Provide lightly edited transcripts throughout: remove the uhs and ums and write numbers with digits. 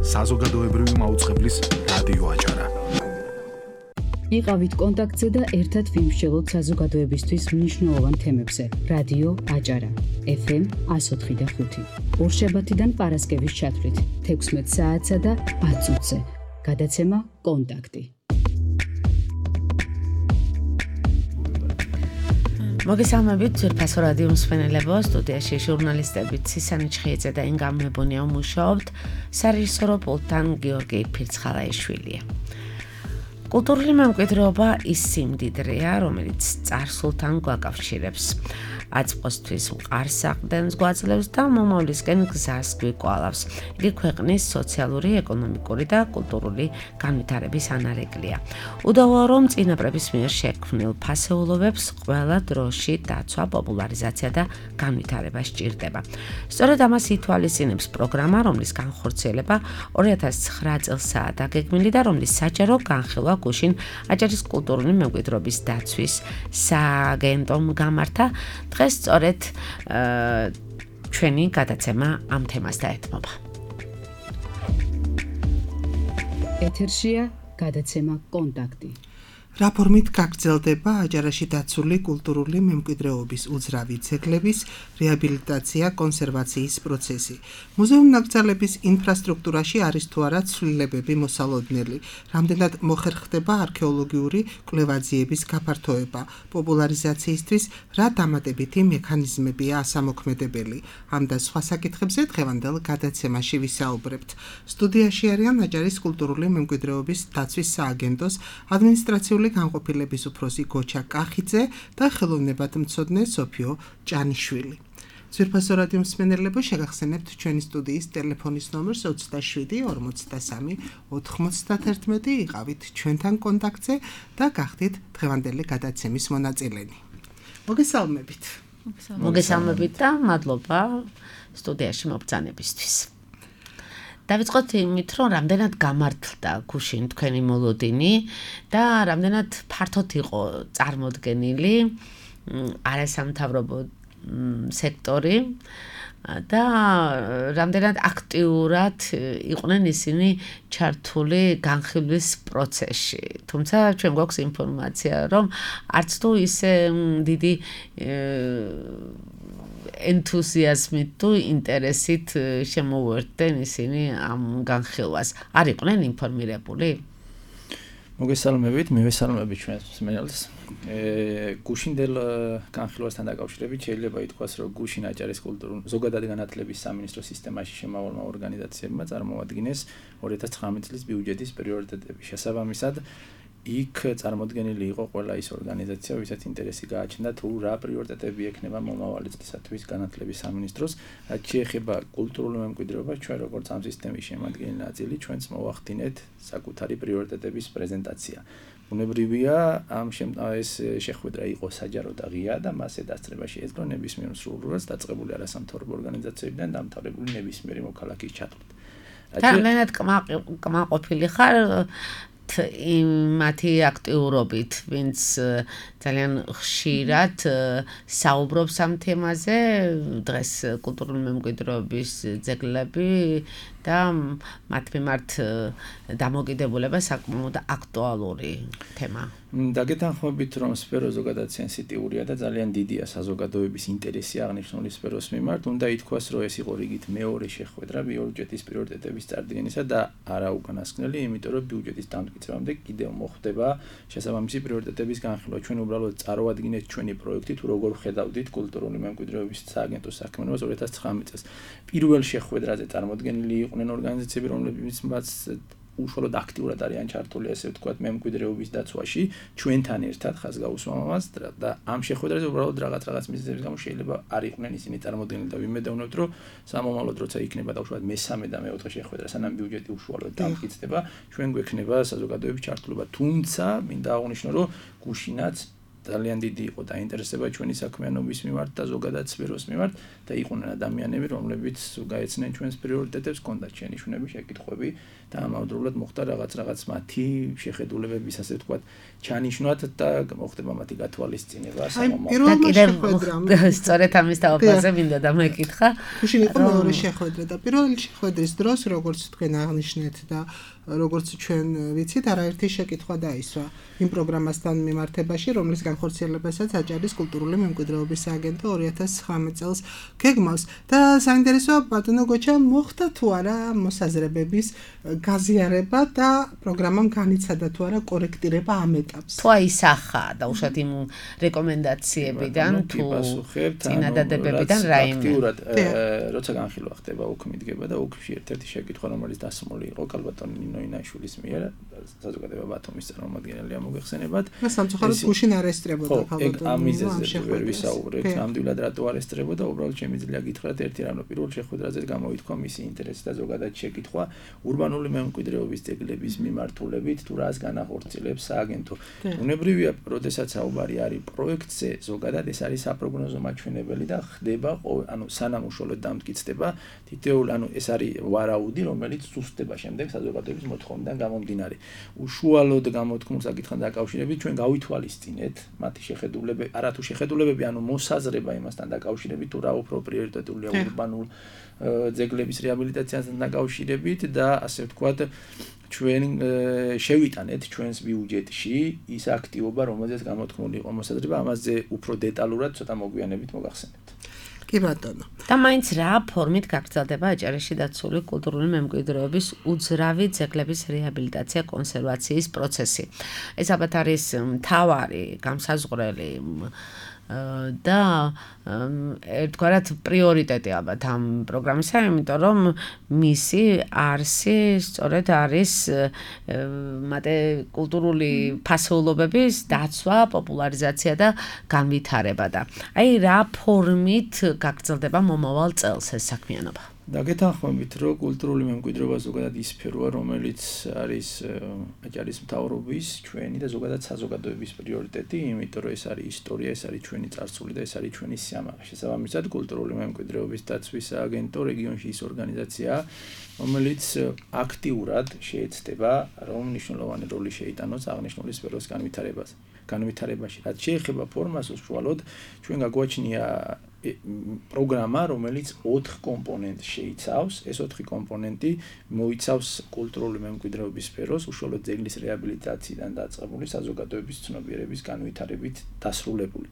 საზოგადოებრივი მაუწყებლის რადიო აჭარა. იყავით კონტაქტზე და ერთად ვიმსჯელოთ საზოგადოებისთვის მნიშვნელოვან თემებზე. რადიო აჭარა. FM 104.5. ორშაბათიდან პარასკევის ჩათვლით 16 საათსა და 10 წუთზე. გადაცემა კონტაქტი. მოგესალმებით ძვირფასო რადიო მსმენელებო, სტუდიაში ჟურნალისტები ცისანი ჩხიეძე და ინგა მებონია მუშაობთ, სარეჟისორო პულტთან გიორგი ფირცხალაიშვილია. კულტურული მემკვიდრეობა ის სიმდიდრეა, რომელიც წარსულთან გვაკავშირებს. აწმყოსთვის მყარს საყრდენს გვაძლევს და მომავლისკენ გზას გვიკვალავს. იგი ქვეყნის სოციალური, ეკონომიკური და კულტურული განვითარების ანარეკლია. უდავოა, რომ წინაპრების მიერ შექმნილ ფასეულობებს ყველა დროში დაცვა, პოპულარიზაცია და განვითარება სჭირდება. სწორედ ამას ითვალისწინებს პროგრამა, რომლის განხორციელება 2009 წელსაა დაგეგმილი და რომლის საჯარო განხილვა გუშინ აჭარის კულტურული მემკვიდრეობის დაცვის სააგენტომ გამართა. დღეს სწორედ ჩვენი გადაცემა ამ თემას დაეთმობა. ეთერშია გადაცემა კონტაქტი. რა ფორმით გაგრძელდება აჭარაში დაცული კულტურული მემკვიდრეობის უძრავი ძეგლების რეაბილიტაცია, კონსერვაციის პროცესი. მუზეუმ-ნაკრძალების ინფრასტრუქტურაში არის თუ არა ცვლილებები მოსალოდნელი, რამდენად მოხერხდება არქეოლოგიური კვლევაძიების გაფართოება, პოპულარიზაციისთვის რა დამატებითი მექანიზმებია ასამოქმედებელი. ამ და სხვა საკითხებზე დღევანდელ გადაცემაში ვისაუბრებთ. სტუდიაში არიან აჭარის კულტურული მემკვიდრეობის დაცვის სააგენტოს ადმინისტრაციული განყოფილების უფროსი გოჩა კახიძე და ხელოვნებათმცოდნე სოფიო ჭანიშვილი. ძვირფასო რადიო მსმენელებო, შეგახსენებთ ჩვენი სტუდიის ტელეფონის ნომერს 27 43 91. იყავით ჩვენთან კონტაქტზე და გახდით დღევანდელი გადაცემის მონაწილენი. მოგესალმებით. მოგესალმებით და მადლობა სტუდიაში მობრძანებისთვის. დავიწყოთ იმით, რომ რამდენად გამართლდა გუშინ თქვენი მოლოდინი და რამდენად ფართოდ იყო წარმოდგენილი არასამთავრობო სექტორი და რამდენად აქტიურად იყვნენ ისინი ჩართული განხილვის პროცესში. თუმცა ჩვენ გვაქვს ინფორმაცია, რომ არც თუ ისე დიდი ენთუზიაზმით თუ ინტერესით შემოუერთდნენ ისინი ამ განხილვას. არ იყვნენ ინფორმირებული? მოგესალმებით, მივესალმებით ჩვენს მსმენელს. გუშინდელ განხილვასთან დაკავშირებით შეიძლება ითქვას, რომ გუშინ აჭარის კულტურული ზოგადად განათლების სამინისტროს სისტემაში შემავალმა ორგანიზაციებმა წარმოადგინეს 2019 წლის ბიუჯეტის პრიორიტეტები. შესაბამისად, იქ წარმოდგენილი იყო ყველა ის ორგანიზაცია, ვისაც ინტერესი გააჩნდა თუ რა პრიორიტეტები ექნება მომავალი წლისათვის განათლების სამინისტროს. რაც შეეხება კულტურულ მემკვიდრეობას, ჩვენ როგორც ამ სისტემის შემადგენელი ნაწილი, ჩვენც მოვახდინეთ საკუთარი პრიორიტეტების პრეზენტაცია. ბუნებრივია, ეს შეხვედრა იყო საჯარო და ღია და მასზე დასწრება შეეძლო ნებისმიერ მსურველს დაწყებული არასამთავრობო ორგანიზაციებიდან დამთავრებული ნებისმიერი მოქალაქის ჩათვლით. რამდენად კმაყოფილი ხარ მათი აქტიურობით, ვინც ძალიან ხშირად საუბრობს ამ თემაზე, დღეს კულტურული მემკვიდრეობის ძეგლები და მათ მიმართ დამოკიდებულება საკმაოდ აქტუალური თემა. დაგეთანხმებით, რომ სფერო ზოგადად სენსიტიურია და ძალიან დიდია საზოგადოების ინტერესი აღნიშნული სფეროს მიმართ. უნდა ითქვას, რომ ეს იყო რიგით მეორე შეხვედრა ბიუჯეტის პრიორიტეტების წარდგენისა და არა უკანასკნელი, იმიტომ რომ ბიუჯეტის დამტკიცებამდე კიდევ მოხდება შესაბამისი პრიორიტეტების განხილვა. ჩვენ უბრალოდ წარვადგინეთ ჩვენი პროექტი, თუ როგორ ხედავდით კულტურული მემკვიდრეობის სააგენტოს საქმიანობას 2019 წელს. პირველ შეხვედრაზე წარმოდგენილი იყვნენ ორგანიზაციები, რომლებიც მას უშუალოდ აქტიურად არიან ჩართული, ასე ვთქვათ, მემკვიდრეობის დაცვაში, ჩვენთან ერთად ხაზ გაუსვამ ამას და ამ შეხვედრაზე უბრალოდ რაღაც მიზეზების გამო შეიძლება არ იყვნენ ისინი წარმოდგენილი და ვიმედოვნებთ, რომ სამომავლოდ როცა იქნება დაუშვათ მესამე და მეოთხე შეხვედრა, სანამ ბიუჯეტი უშუალოდ დამტკიცდება, ჩვენ გვექნება საზოგადოების ჩართულობა. თუმცა მინდა აღვნიშნო, რომ გუშინაც ძალიან დიდი იყო დაინტერესება ჩვენი საქმიანობის მიმართ და ზოგადად სფეროს მიმართ და იყვნენ ადამიანები, რომლებიც გაეცნენ ჩვენს პრიორიტეტებს, ჰქონდათ შენიშვნები, შეკითხვები და ამავდროულად მოხდა რაღაც მათი შეხედულებების, ასე ვთქვათ, ჩანიშვნვათ და მოხდება მათი გათვალისწინება სამომავლოდ. და კიდევ სწორედ ამის თავაფაზე მინდა დამეკითხა. გუშინ იყო მეორე შეხვედრა და პირველი შეხვედრის დროს, როგორც თქვენ აღნიშნეთ და როგორც ჩვენ ვიცით, არაერთი შეკითხვა დაისვა იმ პროგრამასთან მიმართებაში, რომლის განხორციელებასაც აჭარის კულტურული მემკვიდრეობის სააგენტო 2019 წელს გეგმავს და საინტერესოა ბატონო გოჩა მოხდა თუ არა მოსაზრებების გაზიარება და პროგრამამ განიცადა თუ არა კორექტირება ამ ეტაპს. თუ აისახა დაუშვათ იმ რეკომენდაციებიდან თუ წინადადებებიდან რაიმე. აქტიურად როცა განხილვა ხდება უკ მიდგება და უკში ერთ-ერთი შეკითხვა რომელიც დასმული იყო კალბატონი ნინო ინაშვილის მიერ საზოგადოება ბათუმის წარმომადგენელია მოგეხსენებათ. სამწუხაროდ გუშინ არესტრებოდა კალბატონი. ამიზეზე ვერ ვისაუბრეთ. ნამდვილად რატო არესტრებოდა, უბრალოდ შემიძლია გითხრათ ერთი რამ, პირველ შეხვედრაზე გამოითქვა მისი ინტერესი და ზოგადად შეკითხვა ურბანული მემკვიდრეობის ძეგლების მიმართულებით თუ რას განახორციელებს სააგენტო. უნებრივია, როდესაც საუბარი არის პროექტზე, ზოგადად ეს არის საპროგნოზო მაჩვენებელი და ხდება, ანუ სანამ უშუალოდ დამტკიცდება, თითოეულ ეს არის ვარაუდი, რომელიც ზუსტდება შემდეგ საზოგადოების მოთხოვნიდან გამომდინარე. უშუალოდ გამოთქმულ საკითხთან დაკავშირებით ჩვენ გავითვალისწინეთ მათი შეხედულებები, არათუ შეხედულებები, ანუ მოსაზრება იმასთან დაკავშირებით, თუ რა უფრო პრიორიტეტულია ურბანულ ძეგლების რეაბილიტაციასთან დაკავშირებით და ასე ვთქვათ, ჩვენ შევიტანეთ ჩვენს ბიუჯეტში ის აქტივობა, რომელზეც გამოთქმული იყო მოსაზრება, ამაზე უფრო დეტალურად ცოტა მოგვიანებით მოგახსენებთ. კი ბატონო. და მაინც რა ფორმით გაგრძელდება აჭარაში დაცული კულტურული მემკვიდრეობის უძრავი ძეგლების რეაბილიტაცია კონსერვაციის პროცესი. ეს ალბათ არის მთავარი განსაზღვრელი და ერთგვარად პრიორიტეტი ალბათ ამ პროგრამისა, იმიტომ რომ მისი არსი სწორედ არის კულტურული ფასეულობების დაცვა, პოპულარიზაცია და განვითარება და აი რა ფორმით გაგრძელდება მომავალ წელს ეს საქმიანობა. დაგეთანხმებით, რომ კულტურული მემკვიდრეობა ზოგადად ის სფეროა, რომელიც არის აჭარის მთავრობის, ჩვენი და ზოგადად საზოგადოების პრიორიტეტი, იმიტომ რომ ეს არის ისტორია, ეს არის ჩვენი წარსული და ეს არის ჩვენი სიამაყე. შესაბამისად, კულტურული მემკვიდრეობის დაცვის სააგენტო რეგიონში ის ორგანიზაციაა, რომელიც აქტიურად შეეცდება, რომ მნიშვნელოვანი როლი შეიტანოს აღნიშნული სფეროს განვითარებაში. რაც შეეხება ფორმას უშუალოდ, ჩვენ გაგვაჩნია პროგრამა, რომელიც 4 კომპონენტს შეიცავს. ეს 4 კომპონენტი მოიცავს კულტურული მემკვიდრეობის სფეროს, უშუალოდ ძეგლის რეაბილიტაციიდან დაწყებული საზოგადოების ცნობიერების განვითარებით დასრულებული.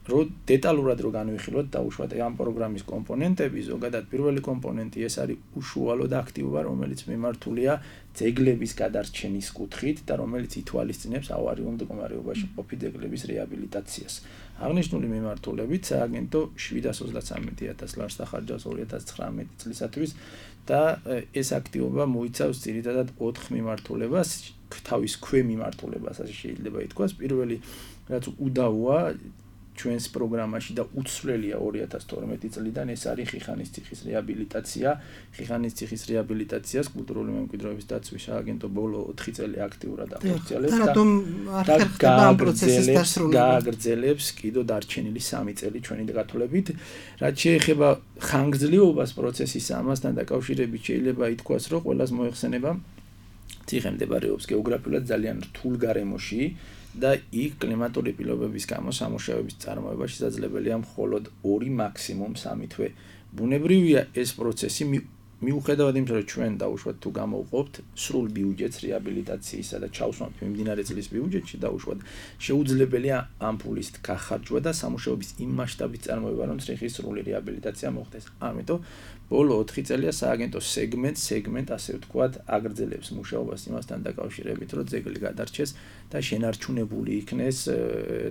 დეტალურად რო განვიხილოთ დაუშვათ ამ პროგრამის კომპონენტები, ზოგადად პირველი კომპონენტი ეს არის უშუალოდ აქტივობა, რომელიც მიმართულია ძეგლების გადარჩენის კუთხით და რომელიც ითვალისწინებს ავარიულ მდგომარეობაში ყოფილი ძეგლების რეაბილიტაციას. აღნიშნული მიმართულებით სააგენტო 733,000 ლარს ახარჯავს 2019 წლისათვის და ეს აქტივობა მოიცავს ძირითადად 4 მიმართულებას, თავის ქვემიმართულებას, ასე შეიძლება ითქვას. პირველი რაც უდავოა ჩვენს პროგრამაში და უცვლელია 2012 წლიდან ეს არის ხიხანის ციხის რეაბილიტაცია. ხიხანის ციხის რეაბილიტაციას კულტურული მემკვიდრეობის დაცვის სააგენტო ბოლო 4 წელი აქტიურად ახორციელებს და გააგრძელებს კიდო დარჩენილი 3 წელი ჩვენი გათვლებით. რაც შეეხება ხანგრძლივობას პროცესის ამასთან დაკავშირებით შეიძლება ითქვას, რომ ყველას მოეხსენება ციხე მდებარეობს გეოგრაფიულად ძალიან რთულ გარემოში და იქ კლიმატური პირობების გამო სამუშაოების წარმოება შესაძლებელია მხოლოდ 2 მაქსიმუმ 3 თვე. ბუნებრივია ეს პროცესი მიუხედავად იმისა, რომ ჩვენ დაუშვათ თუ გამოვყოფთ სრულ ბიუჯეტს რეაბილიტაციისა და ჩავსვამთ მიმდინარე წლის ბიუჯეტში დაუშვათ, შეუძლებელია ამ ფულის გახარჯვა და სამუშაოების იმ მასშტაბით წარმოება, რომ ციხის სრული რეაბილიტაცია მოხდეს. ამიტომ ბოლო 4 წელია სააგენტო სეგმენტ ასე ვთქვათ აგრძელებს მუშაობას იმასთან დაკავშირებით, რომ ძეგლი გადარჩეს და შენარჩუნებული იქნეს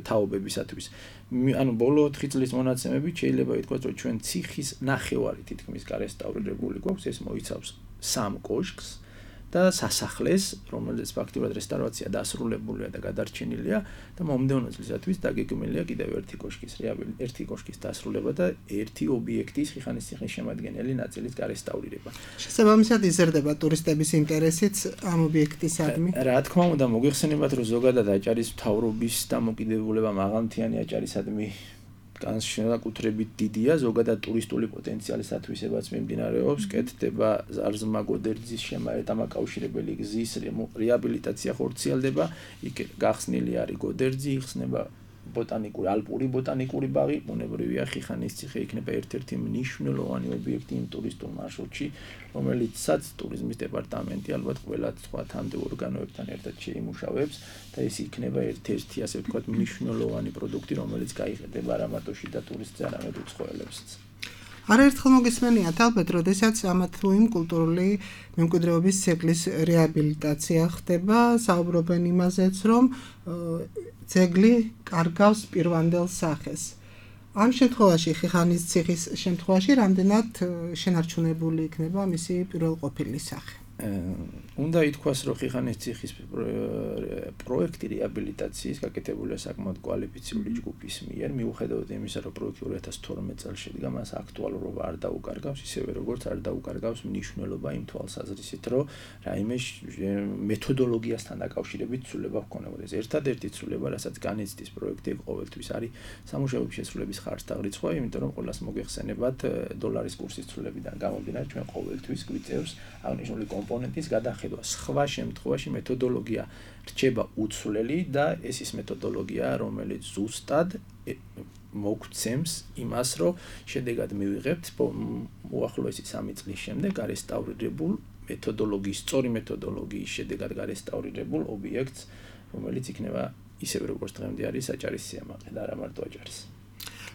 თაობებისათვის. ანუ ბოლო 4 წლის მონაცემებით შეიძლება ითქვას, რომ ჩვენ ციხის ნახევარი თითქმის გარესტავრირებული გვაქვს, ეს მოიცავს 3 კოშკს და სასახლეს, რომელიც ფაქტობრივად რესტავრაცია დასრულებულია და გადარჩენილია და მომდევნო წლისათვის დაგეგმილია კიდევ ერთი კოშკის დასრულება და ერთი ობიექტის ხიხანისციხის შემადგენელი ნაწილის გარესტავრირება. შესაბამისად იზრდება ტურისტების ინტერესიც ამ ობიექტისადმი. რა თქმა უნდა, მოგეხსენებათ, რომ ზოგადად აჭარის მთავრობის დამოკიდებულება მაღალმთიანი აჭარისადმი განსაკუთრებით დიდია, ზოგადად ტურისტული პოტენციალის ათვისებაც მიმდინარეობს, კეთდება ზარზმა გოდერძის დამაკავშირებელი გზის რეაბილიტაცია ხორციელდება, იქ გახსნილი არის გოდერძი, იხსნება ალპური ბოტანიკური ბაღი, ბუნებრივია ხიხანისციხე იქნება ერთ-ერთი მნიშვნელოვანი ობიექტი იმ ტურისტულ მარშრუტში, რომელიცაც ტურიზმის დეპარტამენტი ალბათ ყველა სხვა თანამდებობ ორგანოებთან ერთად შეიმუშავებს და ეს იქნება ერთ-ერთი ასე ვთქვათ მნიშვნელოვანი პროდუქტი, რომელიც გაიყიდება არა მარტოში და ტურისტზე, არამედ უცხოელებსაც. არაერთხელ მოგესმენიათ ალბათ, როდესაც ამა თუ იმ კულტურული მემკვიდრეობის ძეგლის რეაბილიტაცია ხდება, საუბრობენ იმაზეც, რომ ძეგლი კარგავს პირვანდელ სახეს. ამ შემთხვევაში ხიხანისციხის შემთხვევაში რამდენად შენარჩუნებული იქნება მისი პირველყოფილი სახე? უნდა ითქვას, რომ ხიხანისციხის პროექტი რეაბილიტაციის გაკეთებულია საკმაოდ კვალიფიციური ჯგუფის მიერ, მიუხედავად იმისა, რომ პროექტი 2012 წელს შედგა, მას აქტუალურობა არ დაუკარგავს, ისევე როგორც არ დაუკარგავს მნიშვნელობა იმ თვალსაზრისით, რომ რაიმე მეთოდოლოგიასთან დაკავშირებით ცვლილება ჰქონებოდეს. ერთადერთი ცვლილება, რასაც განიცდის პროექტი, ყოველთვის არის სამუშაოების შესრულების ხარჯთაღრიცხვა, იმიტომ რომ ყველას მოგეხსენებათ დოლარის კურსის ცვლილებიდან გამომდინარე, ჩვენ ყოველთვის გვიწევს აღნიშნული კომპონენტის გადახედვა. სხვა შემთხვევაში მეთოდოლოგია რჩება უცვლელი და ეს ის მეთოდოლოგია, რომელიც ზუსტად მოგცემს იმას, რომ შედეგად მივიღებთ უახლოესი 3 წლის შემდეგ გარესტავრირებულ სწორი მეთოდოლოგიის შედეგად გარესტავრირებულ ობიექტს, რომელიც იქნება ისევე როგორც დღემდე არის აჭარის სიამაყე და არა მარტო აჭარის.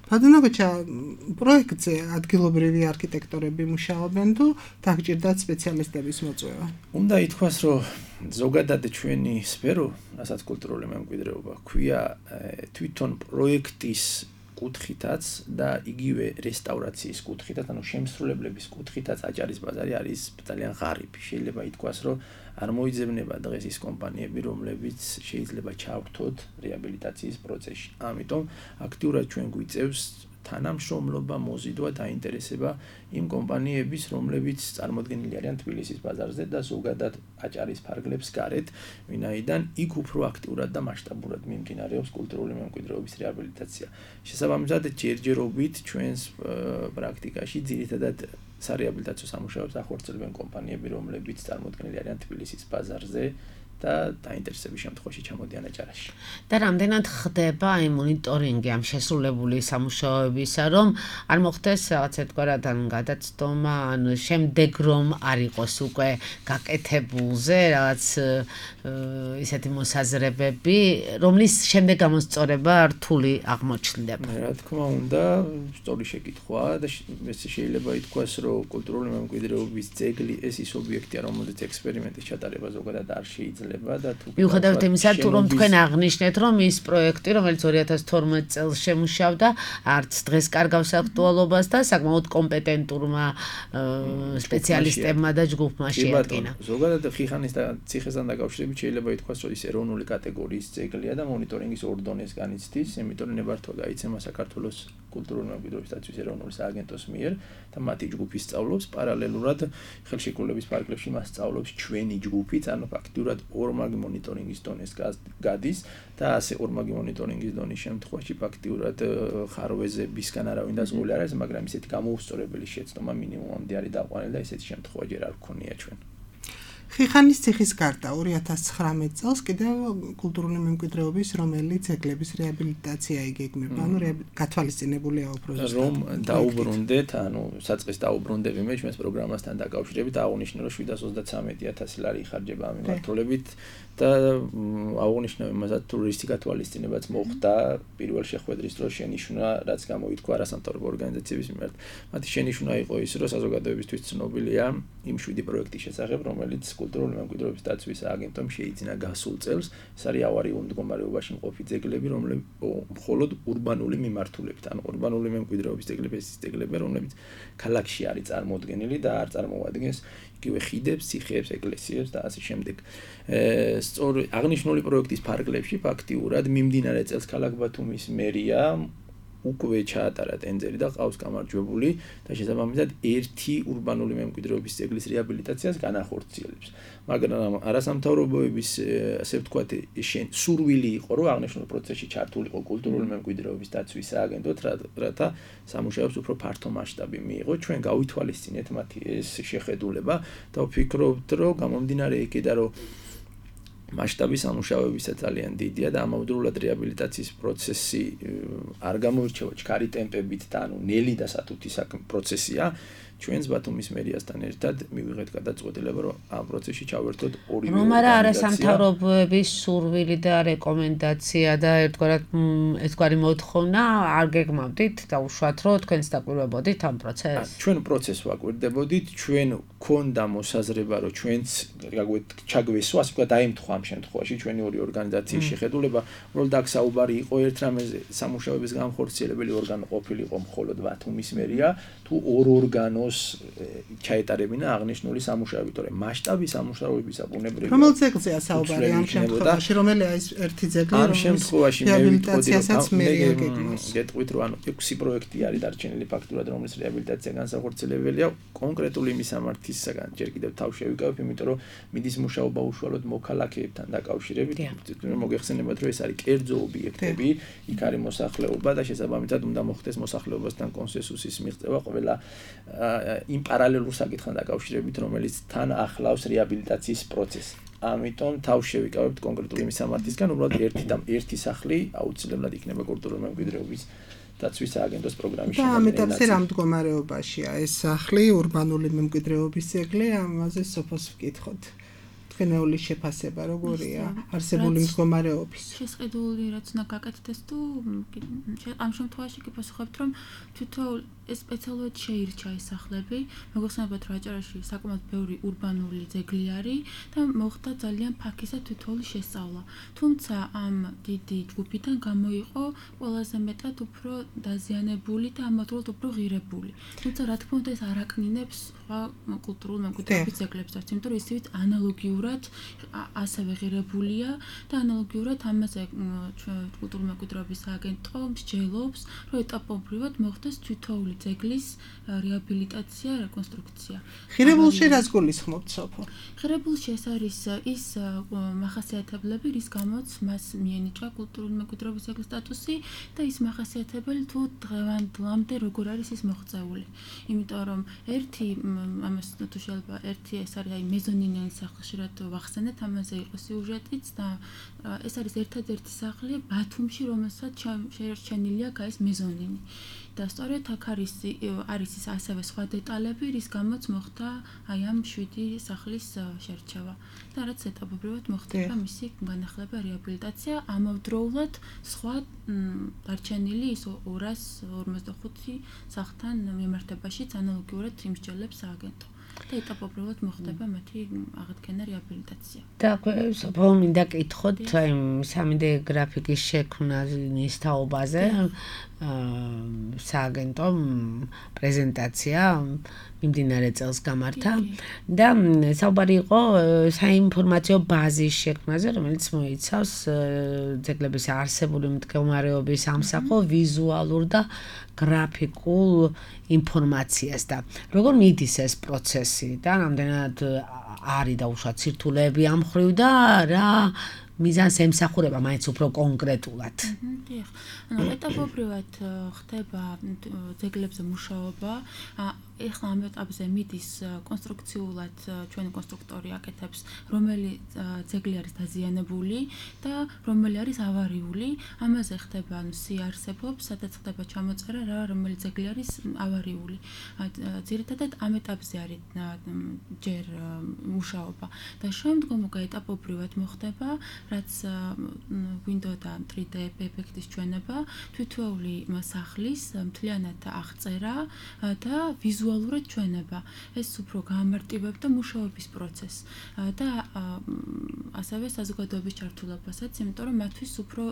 ბატონოგოჩა, პროექტზე ადგილობრივი არქიტექტორები მუშაობენ თუ დაგჭირდათ სპეციალისტების მოწვევა? უნდა ითქვას, რომ ზოგადად ჩვენი სფერო, რასაც კულტურული მემკვიდრეობა ჰქვია, თვითონ პროექტის კუთხითაც და იგივე რესტავრაციის კუთხითაც, ანუ შემსრულებლების კუთხითაც აჭარის ბაზარი არის ძალიან ღარიბი. შეიძლება ითქვას, რომ არ მოიძებნება დღეს ის კომპანიები, რომლებიც შეიძლება ჩავრთოთ რეაბილიტაციის პროცესში. ამიტომ აქტიურად ჩვენ გვიწევს თანამშრომლობა, მოზიდვა, დაინტერესება იმ კომპანიების, რომლებიც წარმოდგენილი არიან თბილისის ბაზარზე და ზოგადად აჭარის ფარგლებს გარეთ, ვინაიდან იქ უფრო აქტიურად და მასშტაბურად მიმდინარეობს კულტურული მემკვიდრეობის რეაბილიტაცია. შესაბამისად, ჯერჯერობით ჩვენს პრაქტიკაში ძირითადად სარეაბილიტაციო სამუშაოებს ახორციელებენ კომპანიები, რომლებიც წარმოდგენილი არიან თბილისის ბაზარზე და დაინტერესების შემთხვევაში ჩამოდიან აჭარაში. და რამდენად ხდება აი მონიტორინგი ამ შესრულებული სამუშაოებისა, რომ არ მოხდეს რაღაცა თქვათ ან გადაცდომა, ან შემდეგ რომ არ იყოს უკვე გაკეთებულზე რაღაც ისეთი მოსაზრებები, რომლის შემდეგ გამოსწორება რთული აღმოჩნდება. რა თქმა უნდა, სწორი შეკითხვაა და შეიძლება ითქვას, რომ კულტურული მემკვიდრეობის ძეგლი ეს ის ობიექტია, რომელიც ექსპერიმენტის ჩატარება ზოგადად არ შეიძლება. მიუხედავად იმისა, რომ თქვენ აღნიშნეთ, რომ ის პროექტი, რომელიც 2012 წელს შემუშავდა, არც დღეს კარგავს აქტუალობას და საკმაოდ კომპეტენტურმა სპეციალისტებმა და ჯგუფმა შეადგინა. ზოგადად ხიხანის და ციხესთან დაკავშირებით შეიძლება ითქვას, რომ ის ეროვნული კატეგორიის ძეგლია და მონიტორინგის 2 დონეს განიცდის, იმიტომ რომ ნებართვა გაიცემა საქართველოს კულტურული მემკვიდრეობის დაცვის ეროვნული სააგენტოს მიერ და მათი ჯგუფი სწავლობს პარალელურად ხელშეკრულების ფარგლებში მას სწავლობს ჩვენი ჯგუფიც, ანუ ფაქტურად ორმაგი მონიტორინგის დონეს გადის და ასე ორმაგი მონიტორინგის დონის შემთხვევაში ფაქტურად ხარვეზებისგან არავინ დაზღული არ არის, მაგრამ ისეთი გამოუსწორებელი შეცდომა მინიმუმამდე არის დაყვანილი და ესეთი შემთხვევა ჯერ არ გქონია ჩვენ. ხიხანისციხის გარდა 2019 წელს კიდევ კულტურული მემკვიდრეობის რომელი ძეგლების რეაბილიტაცია იგეგმება, ანუ გათვალისწინებულია უფრო ზუსტად. რომ დაუბრუნდეთ, ანუ საწყის დაუბრუნდები მე ჩვენს პროგრამასთან დაკავშირებით აღნიშნე, რომ 733,000 ლარი იხარჯება ამ მიმართულებით და აღნიშნე იმასაც ტურისტი გათვალისწინებაც მოხდა პირველ შეხვედრის დროს შენიშვნა, რაც გამოითქვა არასამთავრობო ორგანიზაციების მიმართ. მათი შენიშვნა იყო ის, რომ საზოგადოებისთვის ცნობილია იმ 7 პროექტის შესახებ, რომელიც კულტურული მემკვიდრეობის დაცვის სააგენტომ შეიძინა გასულ წელს, ეს არის ავარიულ მდგომარეობაში მყოფი ძეგლები, რომლებიც მხოლოდ ურბანული მიმართულებით, ანუ ურბანული მემკვიდრეობის ძეგლები, ეს ძეგლები, რომლებიც ქალაქში არის წარმოდგენილი და არ წარმოადგენს იგივე ხიდებს, ციხეებს, ეკლესიებს და ასე შემდეგ. სწორ აღნიშნული პროექტის ფარგლებში ფაქტიურად მიმდინარე წელს ქალაქ ბათუმის მერია უკვე ჩაატარა ტენდერი და ყავს გამარჯვებული და შესაბამისად ერთი ურბანული მემკვიდრეობის ძეგლის რეაბილიტაციას განახორციელებს. მაგრამ არასამთავრობოების ასე ვთქვათ სურვილი იყო, რომ აღნიშნულ პროცესში ჩართულიყო კულტურული მემკვიდრეობის დაცვის სააგენტო, რათა სამუშაოებს უფრო ფართო მასშტაბი მიიღო. ჩვენ გავითვალისწინეთ მათი ეს შეხედულება და ვფიქრობთ, რომ გამომდინარე იქიდან, რომ მასშტაბი სამუშაოებისა ძალიან დიდია და ამავდროულად რეაბილიტაციის პროცესი არ გამოირჩევა ჩქარი ტემპებით და ანუ ნელი და სათუთი პროცესია. ჩვენს ბათუმის მერიასთან ერთად მივიღეთ გადაწყვეტილება, რომ ამ პროცესში ჩავერთოთ ორივე რომ არასამთავრობოების სურვილი და რეკომენდაცია და ერთგვარი მოთხოვნა არ გეგმავდით და უშუალოდ რომ თქვენს დაკვირვებოდით ამ პროცესს? ჩვენ პროცესს ვაკვირდებოდით, ჩვენ გქონდა მოსაზრება, რომ ჩვენც ჩაგვესვა, ასე ვთქვათ, დაემთხვა ამ შემთხვევაში ჩვენი ორი ორგანიზაციის შეხედულება, უბრალოდ აქ საუბარი იყო ერთ რამეზე, სამუშაოების განხორციელებელი ორგანო ყოფილიყო მხოლოდ ბათუმის მერია, თუ ორ ორგანოს ჩაეტარებინა აღნიშნული სამუშაოები, თორემ მასშტაბი სამუშაოებისა ბუნებრივია. რომელ ძეგლზეა საუბარი ამ შემთხვევაში, რომელია ეს ერთი ძეგლი, ამ შემთხვევაში მე ვიტყოდი, რომ გეტყვით, რომ ანუ 6 პროექტი არის დარჩენილი ფაქტურად, რომლის რეაბილიტაცია განსახორციელებელია, კონკრეტული მისამართისაგან ჯერ კიდევ თავ შევიკავებ, იმიტომ რომ მიდის მუშაობა უშუალოდ მოქალაქეებთან დაკავშირებით. მოგეხსენებათ, რომ ეს არის კერძო ობიექტები, იქ არის მოსახლეობა და შესაბამისად უნდა მოხდეს მოსახლეობასთან კონსენსუსის მიღწევა ყველა იმ პარალელურ საკითხთან დაკავშირებით, რომელიც თან ახლავს რეაბილიტაციის პროცესს. ამიტომ თავ შევიკავებთ კონკრეტული მისამართისგან, უბრალოდ ერთი სახლი აუცილებლად იქნება კულტურული მემკვიდრეობის დაცვის სააგენტოს პროგრამის და ამ ეტაპზე რა მდგომარეობაშია ეს სახლი, ურბანული მემკვიდრეობის ძეგლი, ამაზე სოფოს ვკითხოთ. თქვენეული შეფასება როგორია არსებული მდგომარეობის? შესყიდული რაც უნდა გაკეთდეს თუ ამ შემთხვევაში კი პასუხობთ, რომ თვითონ ეს სპეციალურად შეირჩა ეს სახლები. მოგეხსენებათ, რომ აჭარაში საკმაოდ ბევრი ურბანული ძეგლი არის და მოხდა ძალიან ფაქისა თვითონული შესწავლა. თუმცა ამ დიდი ჯგუფიდან გამოიყო ყველაზე მეტად უფრო დაზიანებული და ამავდროულად უფრო ღირებული. თუმცა რა თქმა უნდა ეს არ აკნინებს სხვა კულტურულ მემკვიდრეობის ძეგლებს, იმიტომ რომ ისივით ანალოგიურად ასევე ღირებულია და ანალოგიურად ამაზე კულტურული მემკვიდრეობის სააგენტო მსჯელობს, რომ ეტაპობრივად მოხდეს თვითონული ძეგლის რეაბილიტაცია, რეკონსტრუქცია. ღირებულში რას გულისხმობთ სოფო? ღირებულში ეს არის ის მახასიათებლები, რის გამოც მას მიენიჭა კულტურული მემკვიდრეობის ძეგლის სტატუსი და ის მახასიათებელი თუ დღევანდლამდე როგორ არის ის მოღწეული. იმიტომ რომ ერთი ამას თუ შეიძლება ერთი ეს არის აი მეზონინიანი სახლი, ხშირად ვახსენეთ, ამაზე იყო სიუჟეტიც და ეს არის ერთადერთი სახლი ბათუმში, რომელსაც შეერჩენილია ეს მეზონინი. და სწორედ აქ არის ის ასევე სხვა დეტალები, რის გამოც მოხდა აი ამ 7 სახლის შერჩევა. და რაც ეტაპობრივად მოხდება მისი განახლება, რეაბილიტაცია, ამავდროულად სხვა დარჩენილი ის 255 სახლთან მიმართებაშიც ანალოგიურად იმსჯელებს სააგენტო. და ეტაპობრივად მოხდება მათი აღდგენა, რეაბილიტაცია. და სოფო მინდა კითხოთ აი 3D გრაფიკის შექმნის თაობაზე სააგენტომ პრეზენტაცია მიმდინარე წელს გამართა და საუბარი იყო საინფორმაციო ბაზის შექმნაზე, რომელიც მოიცავს ძეგლების არსებული მდგომარეობის ამსახველ ვიზუალურ და გრაფიკულ ინფორმაციას და როგორ მიდის ეს პროცესი და რამდენად არის დაუშვათ სირთულეები ამ მხრივ და რა მიზანს ემსახურება მაინც უფრო კონკრეტულად. დიახ. ანუ ეტაპობრივად ხდება ძეგლებზე მუშაობა. ეხლა ამ ეტაპზე მიდის კონსტრუქციულად ჩვენი კონსტრუქტორი აკეთებს რომელი ძეგლი არის დაზიანებული და რომელი არის ავარიული. ამაზე ხდება სიარსებობს, სადაც ხდება ჩამოწერა რა რომელი ძეგლი არის ავარიული. ძირითადად ამ ეტაპზე არის ჯერ მუშაობა და შემდგომ ეტაპობრივად მოხდება რაც გვინდოდა 3D ეფექტის ჩვენება, თვითეული სახლის მთლიანად აღწერა და ვიზუალურად ჩვენება. ეს უფრო გაამარტივებდა მუშაობის პროცესს და ასევე საზოგადოების ჩართულობასაც, იმიტომ რომ მათთვის უფრო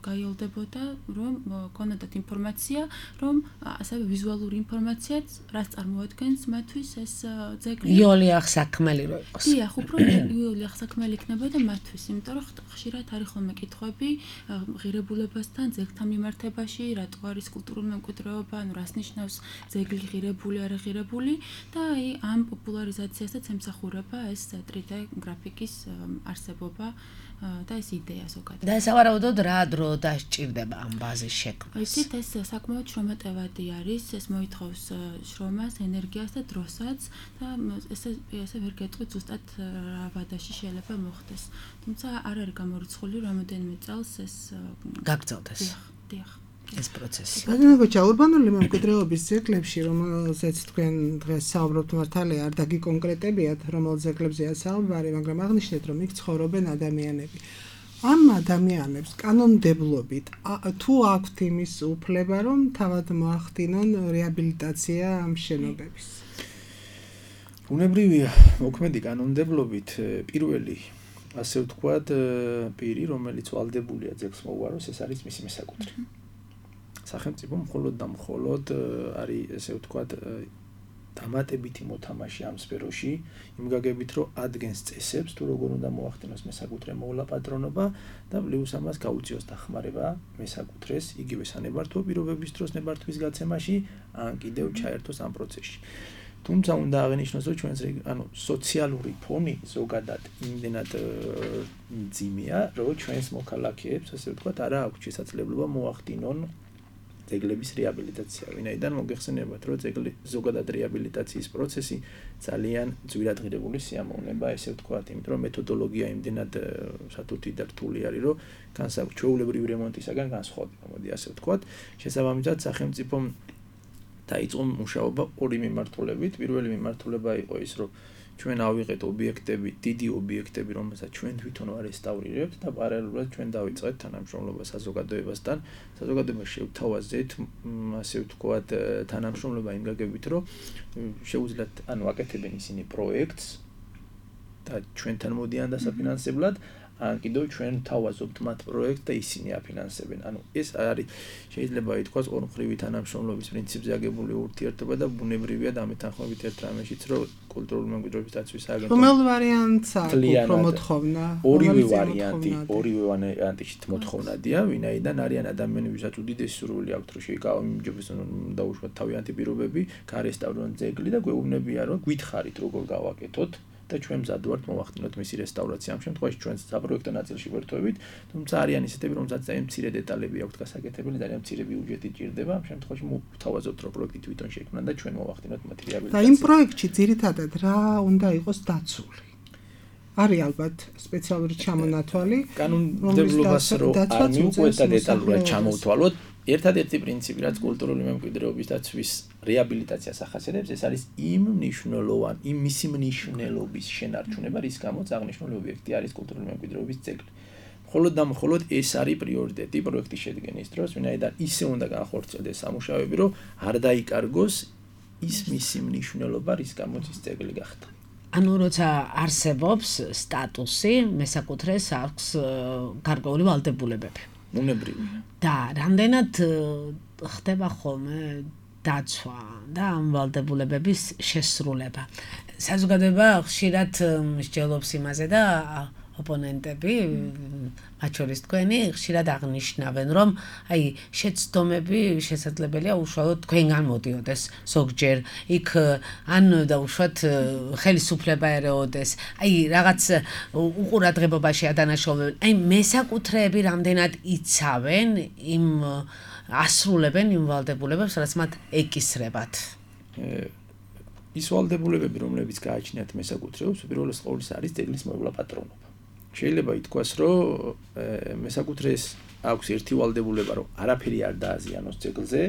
გაიოლდებოდა, რომ კონდეთ ინფორმაცია, რომ ასევე ვიზუალური ინფორმაციაც რაც წარმოადგენს მათთვის ეს ძეგლი. იოლი აღსაქმელი რო იყოს. დიახ, უფრო იოლი აღსაქმელი იქნებოდა მათთვის, იმიტომ რომ ხშირად არის ხოლმე კითხვები ღირებულებასთან, ძეგლთან მიმართებაში, რატო არის კულტურული მემკვიდრეობა, ანუ რას ნიშნავს ძეგლი ღირებული, არა ღირებული და აი ამ პოპულარიზაციასაც ემსახურება ეს 3D გრაფიკის არსებობა და ეს იდეა ზოგადად. და სავარაუდოდ რა დრო დასჭირდება ამ ბაზის შექმნას? იცით, ეს საკმაოდ შრომატევადი არის, ეს მოითხოვს შრომას, ენერგიას და დროსაც და ესე ვერ გეტყვით ზუსტად რა ვადაში შეიძლება მოხდეს. თუმცა არ არის გამორიცხული რამოდენიმე წელს ეს გაგრძელდეს. დიახ. ეს პროცესი. ბატონო, ურბანული მემკვიდრეობის ძეგლებში, რომელზეც თქვენ დღეს საუბრობთ, მართალია არ დაგიკონკრეტებიათ, რომელ ძეგლებზეა საუბარი, მაგრამ აღნიშნეთ, რომ იქ ცხოვრობენ ადამიანები. ამ ადამიანებს კანონმდებლობით თუ აქვთ იმის უფლება, რომ თავად მოახდინონ რეაბილიტაცია ამ შენობების? ბუნებრივია, მოქმედი კანონმდებლობით პირველი ასე ვთქვათ, პირი, რომელიც ვალდებულია ძეგლს მოუაროს, ეს არის მისი მესაკუთრე. სახელმწიფო მხოლოდ და მხოლოდ არის ესე ვთქვათ დამატებითი მოთამაშე ამ სფეროში, იმ გაგებით რომ ადგენს წესებს თუ როგორ უნდა მოახდინოს მესაკუთრე მოვლა-პატრონობა და პლუს ამას გაუწიოს დახმარება მესაკუთრეს იგივე სანებართვო პირობების დროს ნებართვის გაცემაში, ან კიდევ ჩაერთოს ამ პროცესში. თუმცა უნდა აღინიშნოს, რომ ჩვენს სოციალური ფონი ზოგადად იმდენად მძიმეა, რომ ჩვენს მოქალაქეებს ასე ვთქვათ არა აქვს შესაძლებლობა მოახდინონ ძეგლების რეაბილიტაცია. ვინაიდან მოგეხსენებათ, რომ ძეგლი ზოგადად რეაბილიტაციის პროცესი ძალიან ძვირადღირებული სიამოვნება, ესე ვთქვათ, იმიტომ რომ მეთოდოლოგია იმდენად სათუთი და რთული არის, რომ ჩვეულებრივი რემონტისაგან განსხვავდება, მოდი ასე ვთქვათ. შესაბამისად, სახელმწიფომ დაიწყო მუშაობა ორი მიმართულებით. პირველი მიმართულება იყო ის, რომ ჩვენ ავიღეთ ობიექტები, დიდი ობიექტები, რომელსაც ჩვენ თვითონ ვარესტავრირებთ და პარალელურად ჩვენ დავიწყეთ თანამშრომლობა საზოგადოებასთან. საზოგადოებას შევთავაზეთ, ასე ვთქვათ, თანამშრომლობა იმ გაგებით, რომ შეუძლიათ, აკეთებენ ისინი პროექტს და ჩვენთან მოდიან დასაფინანსებლად, ან კიდევ ჩვენ თავაზობთ მათ პროექტს და ისინი აფინანსებენ. ეს არის შეიძლება ითქვას ორმხრივი თანამშრომლობის პრინციპზე აგებული ურთიერთობა და ბუნებრივია დამეთანხმებით ერთ რამეშიც, რომ კულტურული მემკვიდრეობის დაცვის აგენტო რომელ ვარიანტს აქვს უფრო მოთხოვნა? ორივე ვარიანტით მოთხოვნადია, ვინაიდან არიან ადამიანებისაც უდიდესი სურვილი აქვთ, რომ შეიკავოს დაუშვათ თავიანთი პირობები, გარესტავრონ ძეგლი და გვეუბნებიან, რომ გითხარით როგორ გავაკეთოთ და ჩვენ მზად ვართ მოვახდინოთ მისი რესტავრაცია. ამ შემთხვევაში ჩვენ საპროექტო ნაწილში ვერთვებით, თუმცა არიან ისეთები, რომელსაც ძალიან მცირე დეტალები აქვთ გასაკეთებელი, ძალიან მცირე ბიუჯეტი ჭირდება. ამ შემთხვევაში მოვთავაზობთ, რომ პროექტი თვითონ შექმნა და ჩვენ მოვახდინოთ მათი რეაბილიტაცია. და იმ პროექტში ძირითადად რა უნდა იყოს დაცული? არის ალბათ სპეციალური ჩამონათვალი, კანონმდებლობას რო არ მიუყვეთ და დეტალურად ჩამოვთვალოთ. ერთადერთი პრინციპი, რაც კულტურული მემკვიდრეობის დაცვის რეაბილიტაციას ახასიათებს, ეს არის იმ მისი მნიშვნელობის შენარჩუნება, რის გამოც აღნიშნული ობიექტი არის კულტურული მემკვიდრეობის ძეგლი. მხოლოდ და მხოლოდ ეს არის პრიორიტეტი პროექტის შედგენის დროს, ვინაიდან ისე უნდა განხორციელდეს სამუშაოები, რომ არ დაიკარგოს ის მისი მნიშვნელობა, რის გამოც ის ძეგლი გახდა. ანუ როცა არსებობს სტატუსი, მესაკუთრეს აქვს გარკვეული ვალდებულებები. უნებრივია. და რამდენად ხდება ხოლმე დაცვა და ამ ვალდებულებების შესრულება. საზოგადოება ხშირად მსჯელობს იმაზე და ოპონენტები, მათ შორის თქვენი, ხშირად აღნიშნავენ, რომ აი შეცდომები შესაძლებელია უშუალოდ თქვენგან მოდიოდეს ზოგჯერ, იქ ან დაუშვათ ხელისუფლება ერეოდეს, აი რაღაც უყურადღებობაში ადანაშაულებენ, აი მესაკუთრეები რამდენად იცავენ იმ ასრულებენ იმ ვალდებულებებს, რაც მათ ეკისრებათ. ის ვალდებულებები, რომლებიც გააჩნიათ მესაკუთრეებს, უპირველეს ყოვლისა არის ძეგლის მოვლა-პატრონობა. შეიძლება ითქვას, რომ მესაკუთრეს აქვს ერთი ვალდებულება, რომ არაფერი არ დააზიანოს ძეგლზე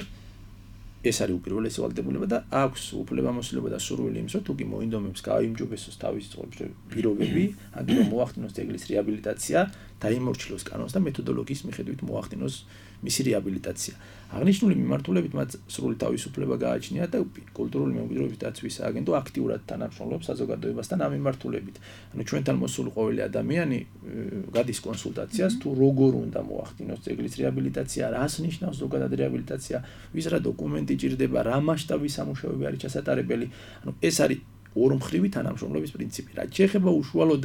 ეს არის უპირველესი ვალდებულება და აქვს უფლებამოსილება და სურვილი იმის, რომ თუ კი მოინდომებს გააიმჯობესოს თავის ცხოვრების პირობები, ან კი რომ მოახდინოს ძეგლის რეაბილიტაცია, დაიმორჩილოს კანონს და მეთოდოლოგიის მიხედვით მოახდინოს მისი რეაბილიტაცია. აღნიშნული მიმართულებით მათ სრული თავისუფლება გააჩნია და კულტურული მემკვიდრეობის დაცვის სააგენტო აქტიურად თანამშრომლობს საზოგადოებასთან ამ მიმართულებით. ანუ ჩვენთან მოსული ყოველი ადამიანი გადის კონსულტაციას თუ როგორ უნდა მოახდინოს ძეგლის რეაბილიტაცია, რას ნიშნავს ზოგადად რეაბილიტაცია, ვის რა დოკუმენტი ჭირდება, რა მასშტაბის სამუშაოები არის ჩასატარებელი. ანუ ეს არის ორმხრივი თანამშრომლობის პრინციპი. რაც შეეხება უშუალოდ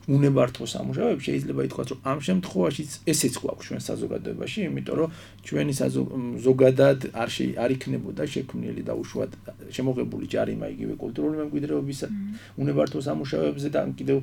უნებართვო სამუშაოებს, შეიძლება ითქვას, რომ ამ შემთხვევაში ესეც გვაქვს ჩვენ საზოგადოებაში, იმიტომ რომ ჩვენი ზოგადად არ იქნებოდა შექმნილი და უშუალოდ შემოღებული ჯარიმა იგივე კულტურული მემკვიდრეობის უნებართვო სამუშაოებზე და კიდევ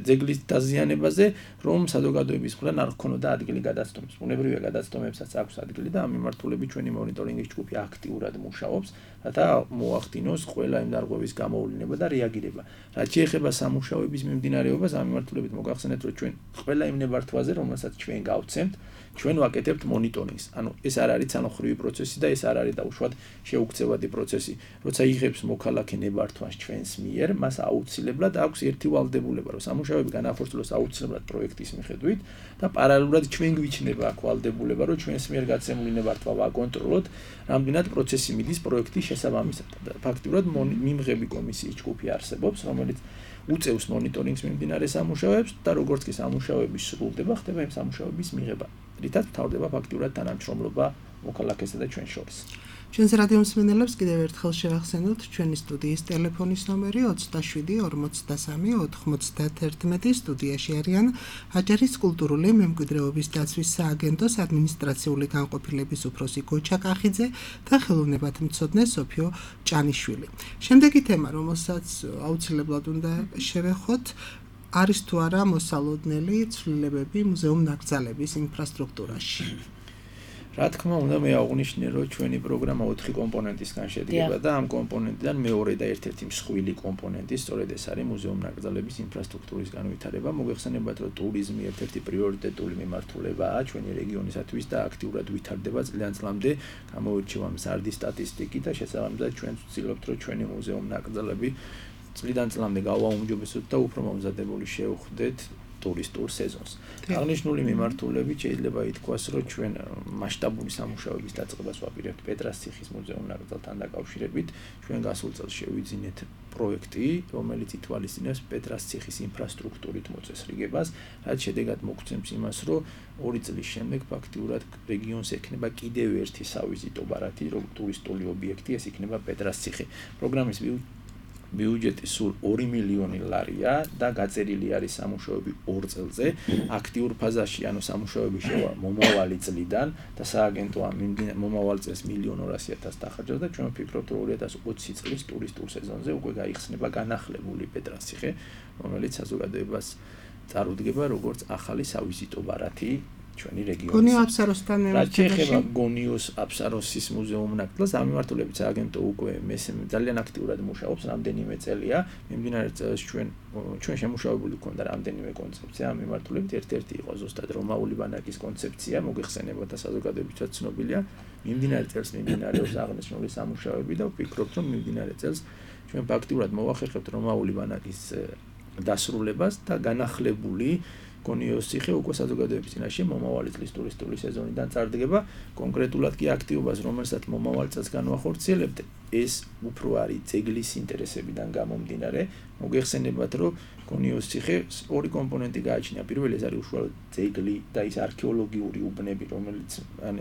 ძეგლის დაზიანებაზე, რომ საზოგადოების მხრიდან არ ჰქონოდა ადგილი გადაცდომის. ბუნებრივია გადაცდომებსაც აქვს ადგილი და ამ მიმართულებით ჩვენი მონიტორინგის ჯგუფი აქტიურად მუშაობს, რათა მოახდინოს ყველა იმ დარღვევის გამოუვლინება და რეაგირება. რაც შეეხება სამუშაოების მიმდინარეობას, ამ მიმართულებით მოგახსენეთ, რომ ჩვენ ყველა იმ ნებართვაზე, რომელსაც ჩვენ გავცემთ, ჩვენ ვაკეთებთ მონიტორინგს. ანუ ეს არ არის ცალმხრივი პროცესი და ეს არ არის დაუშვათ შეუქცევადი პროცესი. როცა იღებს მოქალაქე ნებართვას ჩვენს მიერ, მას აუცილებლად აქვს ერთი ვალდებულება, რომ სამუშაოები განახორციელოს აუცილებლად პროექტის მიხედვით და პარალელურად ჩვენ გვიჩნდება აქ ვალდებულება, რომ ჩვენს მიერ გაცემული ნებართვა ვაკონტროლოთ, რამდენად პროცესი მიდის პროექტის შესაბამისად. ფაქტიურად მიმღები კომისიის ჯგუფი არსებობს, რომელიც უწევს მონიტორინგს მიმდინარე სამუშაოებს და როგორც კი სამუშაოები სრულდება, ხდება იმ სამუშაოების მიღება. რითაც მთავრდება ფაქტიურად თანამშრომლობა მოქალაქესა და ჩვენ შორის. ჩვენს რადიო მსმენელებს კიდევ ერთხელ შევახსენოთ ჩვენი სტუდიის ტელეფონის ნომერი 27 სტუდიაში არიან აჭარის კულტურული მემკვიდრეობის დაცვის სააგენტოს ადმინისტრაციული განყოფილების უფროსი გოჩა კახიძე და ხელოვნებათმცოდნე სოფიო ჭანიშვილი. შემდეგი თემა, რომელსაც აუცილებლად უნდა შევეხოთ, არის თუ არა მოსალოდნელი ცვლილებები მუზეუმ-ნაკრძალების ინფრასტრუქტურაში. რა თქმა უნდა, მე აღვნიშნე, რომ ჩვენი პროგრამა 4 კომპონენტისგან შედგება და ამ კომპონენტიდან მეორე და ერთ-ერთი მსხვილი კომპონენტი სწორედ ეს არის მუზეუმ-ნაკრძალების ინფრასტრუქტურის განვითარება. მოგეხსენებათ, რომ ტურიზმი ერთ-ერთი პრიორიტეტული მიმართულებაა ჩვენი რეგიონისათვის და აქტიურად ვითარდება წლიდან წლამდე. გამოირჩევა მზარდი სტატისტიკით და შესაბამისად ჩვენ ვცდილობთ, რომ ჩვენი მუზეუმ-ნაკრძალები წლიდან წლამდე გავაუმჯობესოთ და უფრო მომზადებული შევხვდეთ ტურისტულ სეზონს. აღნიშნული მიმართულებით შეიძლება ითქვას, რომ ჩვენ მასშტაბური სამუშაოების დაწყებას ვაპირებთ პეტრასციხის მუზეუმ-ნაკრძალთან დაკავშირებით. ჩვენ გასულ წელს შევიძინეთ პროექტი, რომელიც ითვალისწინებს პეტრასციხის ინფრასტრუქტურით მოწესრიგებას, რაც შედეგად მოგცემს იმას, რომ 2 წლის შემდეგ ფაქტიურად რეგიონს ექნება კიდევ ერთი სავიზიტო ბარათი, ტურისტული ობიექტი, ეს იქნება პეტრასციხი. პროგრამის ბიუჯეტი სულ 2 მილიონი ლარია და გაწერილი არის სამუშაოები 2 წელზე. აქტიურ ფაზაში, ანუ სამუშაოები შევა მომავალი წლიდან და სააგენტო ამ მომავალ წელს 1.200.000 დახარჯავს და ჩვენ ვფიქრობთ, რომ 2020 წლის ტურისტულ სეზონზე უკვე გაიხსნება განახლებული პეტრასციხე, რომელიც საზოგადოებას წარუდგება როგორც ახალი სავიზიტო ბარათი ჩვენი რეგიონის. გონიო აფსაროსთან მიმართებაში. რაც შეეხება გონიოს აფსაროსის მუზეუმ-ნაკრძალს, ამ მიმართულებით სააგენტო უკვე ძალიან აქტიურად მუშაობს, რამდენიმე წელია. მიმდინარე წელს ჩვენ შემუშავებული გვქონდა რამდენიმე კონცეფცია ამ მიმართულებით. ერთ-ერთი იყო ზუსტად რომაული ბანაკის კონცეფცია, მოგეხსენებათ და საზოგადოებითაც ცნობილია. მიმდინარე წელს მიმდინარეობს აღნიშნული სამუშაოები და ვფიქრობთ, რომ მიმდინარე წელს ჩვენ ფაქტიურად მოვახერხებთ რომაული ბანაკის დასრულებას და განახლებული გონიოს ციხე უკვე საზოგადოების წინაშე მომავალი წლის ტურისტული სეზონიდან წარდგება. კონკრეტულად კი აქტივობას, რომელსაც მომავალ წელს განვახორციელებთ, ეს უფრო არის ძეგლის ინტერესებიდან გამომდინარე. მოგეხსენებათ, რომ გონიოს ციხეს 2 კომპონენტი გააჩნია. პირველი ეს არის უშუალოდ ძეგლი და ის არქეოლოგიური უბნები, რომელიც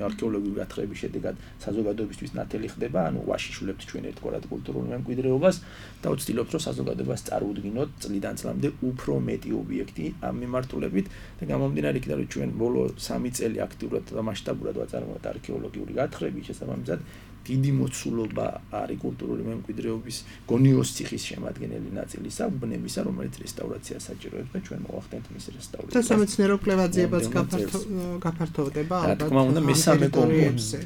არქეოლოგიური გათხრების შედეგად საზოგადოებისთვის ნათელი ხდება, ანუ ვაშიშულებთ ჩვენ ერთგვარად კულტურულ მემკვიდრეობას და ვცდილობთ, რომ საზოგადოებას წარუდგინოთ წლიდან წლამდე უფრო მეტი ობიექტი ამ მიმართულებით და გამომდინარე იქიდან, რომ ჩვენ ბოლო 3 წელი აქტიურად და მასშტაბურად ვაწარმოებთ არქეოლოგიური გათხრების შესაბამისად დიდი მოცულობა არის კულტურული მემკვიდრეობის გონიოს ციხის შემადგენელი ნაწილისა, უბნებისა, რომელიც რესტავრაციას საჭიროებს და ჩვენ მოვახდენთ მის რესტავრაციას. და სამეცნიერო კვლევა-ძიებაც გაფართოვდება ალბათ. რა თქმა უნდა,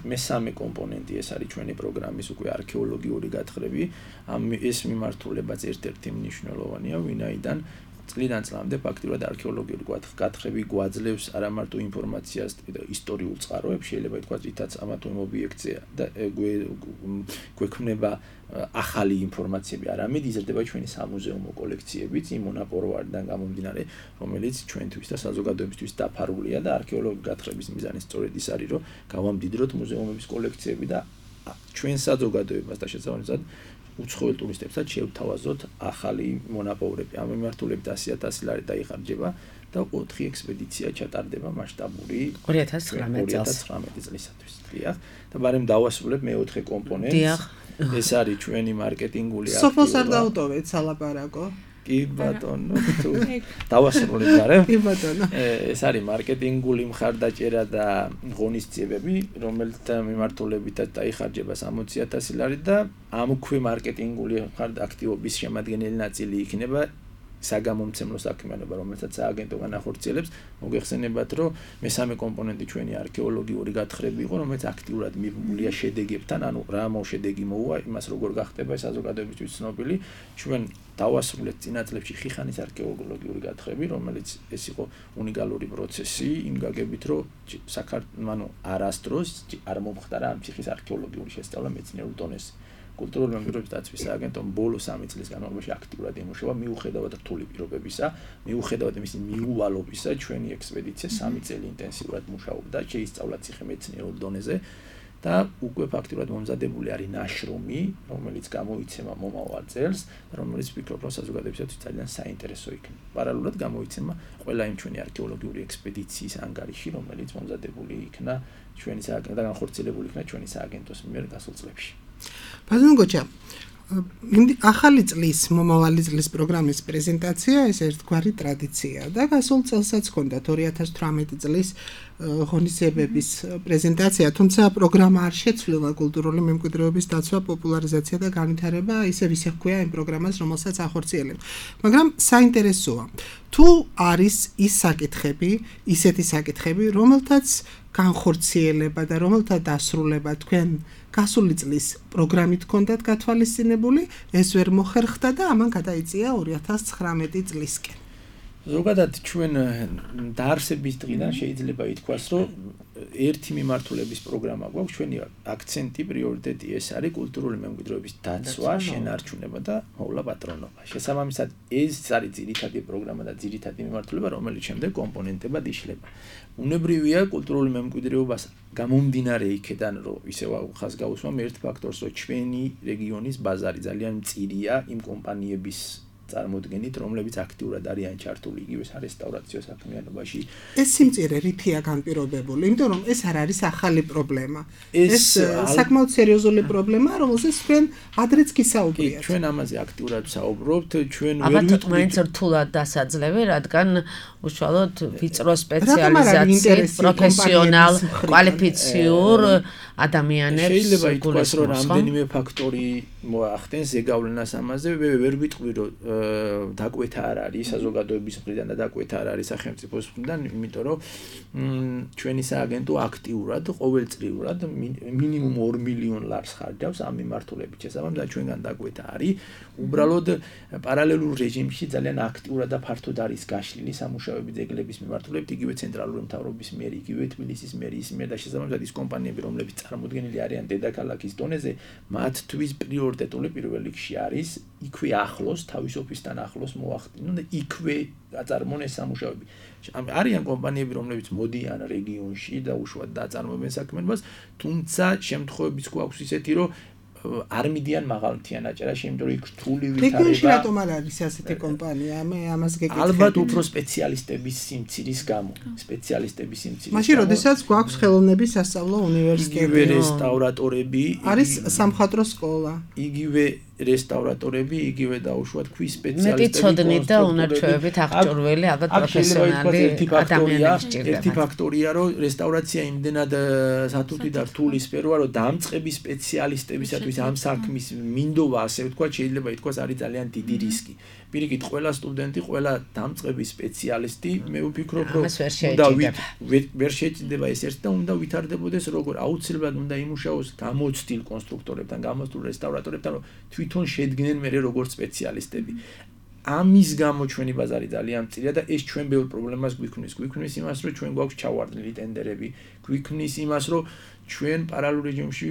მესამე კომპონენტი ეს არის ჩვენი პროგრამის უკვე არქეოლოგიური გათხრები. ეს მიმართულებაც ერთ-ერთი მნიშვნელოვანია, ვინაიდან წლიდან წლამდე ფაქტიურად არქეოლოგიური გათხრები გვაძლევს არა მარტო ინფორმაციას ისტორიულ წყაროებს, შეიძლება ითქვას, რითაც ამა თუ იმ ობიექტზე და გვექმნება ახალი ინფორმაციები, არამედ იზრდება ჩვენი სამუზეუმო კოლექციებიც იმ მონაპოვარიდან გამომდინარე, რომელიც ჩვენთვის და საზოგადოებისთვის დაფარულია და არქეოლოგიური გათხრების მიზანი სწორედ ის არის, რომ გავამდიდროთ მუზეუმების კოლექციები და ჩვენ საზოგადოებას და შესაბამისად უცხოელ ტურისტებსაც შევთავაზოთ ახალი მონაპოვრები. ამ მიმართულებით 100,000 ლარი დაიხარჯება და 4 ექსპედიცია ჩატარდება მასშტაბური 2019 წლისათვის. დიახ. და ბარემ დავასრულებ მეოთხე კომპონენტს. დიახ. ეს არის ჩვენი მარკეტინგული აქტივობა. სოფოს არ დაუტოვეთ სალაპარაკო. კი ბატონო, თუ დავასრულებ ბარემ. კი ბატონო. ეს არის მარკეტინგული მხარდაჭერა და ღონისძიებები, რომელთა მიმართულებითაც დაიხარჯება 60,000 ლარი და ამქვე მარკეტინგული აქტივობის შემადგენელი ნაწილი იქნება საგამომცემლო საქმიანობა, რომელსაც სააგენტო განახორციელებს. მოგეხსენებათ, რომ მესამე კომპონენტი ჩვენი არქეოლოგიური გათხრები იყო, რომელიც აქტიურად მიბმულია შედეგებთან, ანუ რა მოშედეგი მოუვა, იმას როგორ გახდება საზოგადოებისთვის ცნობილი. ჩვენ დავასრულეთ წინა წლებში ხიხანის არქეოლოგიური გათხრები, რომელიც ეს იყო უნიკალური პროცესი, იმ გაგებით, რომ საქართველოს არასდროს არ მომხდარა ამ ციხის არქეოლოგიური შესწავლა მეცნიერულ დონეზე. კულტურული მემკვიდრეობის დაცვის სააგენტომ ბოლო 3 წლის განმავლობაში აქტიურად ემუშავა მიუხედავად რთული პირობებისა, მიუხედავად იმის მიუვალობისა, ჩვენი ექსპედიცია 3 წელი ინტენსიურად მუშაობდა, შეისწავლა ციხე მეცნიერულ დონეზე და უკვე ფაქტიურად მომზადებული არის ნაშრომი, რომელიც გამოიცემა მომავალ წელს, რომელიც ვფიქრობ, რომ საზოგადოებისთვის ძალიან საინტერესო იქნება. პარალელურად გამოიცემა ყველა იმ ჩვენი არქეოლოგიური ექსპედიციის ანგარიში, რომელიც მომზადებული იქნა ჩვენი სააგენტო და განხორციელებული იქნა ჩვენი სააგენტოს მიერ გასულ წლებში. ბატონო გოჩა, ახალი წლის, მომავალი წლის პროგრამის პრეზენტაცია ეს ერთგვარი ტრადიციაა და გასულ წელსაც ჰქონდათ 2018 წლის ღონისძიებების პრეზენტაცია, თუმცა პროგრამა არ შეცვლილა კულტურული მემკვიდრეობის დაცვა, პოპულარიზაცია და განვითარება, ისევ ჰქვია იმ პროგრამას, რომელსაც ახორციელებს. მაგრამ საინტერესოა, თუ არის ის საკითხები, ისეთი საკითხები, რომელთაც განხორციელება და რომელთა დასრულება თქვენ გასული წლის პროგრამით ჰქონდათ გათვალისწინებული, ეს ვერ მოხერხდა და ამან გადაიწია 2019 წლისკენ. ზოგადად ჩვენ დაარსების დღიდან შეიძლება ითქვას, რომ ერთი მიმართულების პროგრამა გვაქვს, ჩვენი აქცენტი, პრიორიტეტი ეს არის კულტურული მემკვიდრეობის დაცვა, შენარჩუნება და მოვლა პატრონობა. შესაბამისად, ეს არის ძირითადი პროგრამა და ძირითადი მიმართულება, რომელიც შემდეგ კომპონენტებად იშლება. უნებრივია კულტურული მემკვიდრეობას გამომდინარე იქიდან, რომ ისევ ხაზგაუსვამ ერთ ფაქტორს, რომ ჩვენი რეგიონის ბაზარი ძალიან მწირია იმ კომპანიების წარმოდგენით, რომლებიც აქტიურად არიან ჩართული იგივე სარესტავრაციო საქმიანობაში. ეს სიმწირე რითია განპირობებული? იმიტომ რომ ეს არ არის ახალი პრობლემა. ეს საკმაოდ სერიოზული პრობლემაა, რომელზეც თქვენ ადრეც გისაუბრეთ. ჩვენ ამაზე აქტიურად ვსაუბრობთ, ჩვენ ვერ ვიტყვით მაინც რთულად დასაძლევი, რადგან უშუალოდ ვიწრო სპეციალიზაციით, პროფესიონალ, კვალიფიციურ ადამიანებს შეიძლება ითქვას, რომ რამდენიმე ფაქტორი მოახდენს ზეგავლენას ამაზე, ვერ ვიტყვი, რომ დაკვეთა არ არის საზოგადოების მხრიდან და დაკვეთა არ არის სახელმწიფოს მხრიდან, იმიტომ რომ ჩვენი სააგენტო აქტიურად ყოველწლიურად მინიმუმ 2 მილიონ ლარს ხარჯავს ამ მიმართულებით. შესაბამისად, ჩვენგან დაკვეთა არის. უბრალოდ პარალელურ რეჟიმში ძალიან აქტიურად და ფართოდ არის გაშლილი სამუშაოები ძეგლების მიმართულებით, იგივე ცენტრალური მთავრობის მიერ, იგივე თბილისის მერიის მიერ და შესაბამისად ის კომპანიები, რომლებიც წარმოდგენილი არიან დედაქალაქის დონეზე, მათთვის პრიორიტეტული პირველ რიგში არის იქვე ახლოს, თავის ოფისთან ახლოს მოახდინონ და იქვე აწარმოონ ეს სამუშაოები. არიან კომპანიები, რომლებიც მოდიან რეგიონში და უშუალოდ აწარმოებენ საქმიანობას, თუმცა შემთხვევებიც გვაქვს ისეთი, რომ არ მიდიან მაღალმთიან აჭარაში, იმიტომ რომ იქ რთული ვითარება. რეგიონში რატომ არ არის ასეთი კომპანია? მე ამას გეკითხები. ალბათ უფრო სპეციალისტების სიმცირის გამო. სპეციალისტების სიმცირის. მაშინ როდესაც გვაქვს ხელოვნების სასწავლო უნივერსიტეტი, იგივე რესტავრატორები, არის სამხატვრო სკოლა. იგივე რესტავრატორები, იგივე დაუშვათ ქვის სპეციალისტები. მეტი ცოდნით და უნარჩვევებით აღჭურვილი ალბათ პროფესიონალი ადამიანები სჭირდება. ერთი ფაქტორია, რომ რესტავრაცია იმდენად სათუთი და რთული სფეროა, რომ დამწყების სპეციალისტებისათვის ამ საქმის მინდობა, ასე ვთქვათ, შეიძლება ითქვას, არის ძალიან დიდი რისკი. პირიქით, ყველა სტუდენტი, ყველა დამწყების სპეციალისტი, მე ვფიქრობ, რომ ვერ შეჭდება ეს ერთ და უნდა ვითარდებოდეს როგორ აუცილებლად უნდა იმუშაოს გამოცდილ კონსტრუქტორებთან, გამოცდილ რესტავრატორებთან, რომ თვითონ შედგნენ მერე როგორც სპეციალისტები. ამის გამო ჩვენი ბაზარი ძალიან მწირია და ეს ჩვენ ბევრ პრობლემას გვიქმნის იმას, რომ ჩვენ გვაქვს ჩავარდნილი ტენდერები, გვიქმნის იმას, რომ ჩვენ პარალელურ რეჟიმში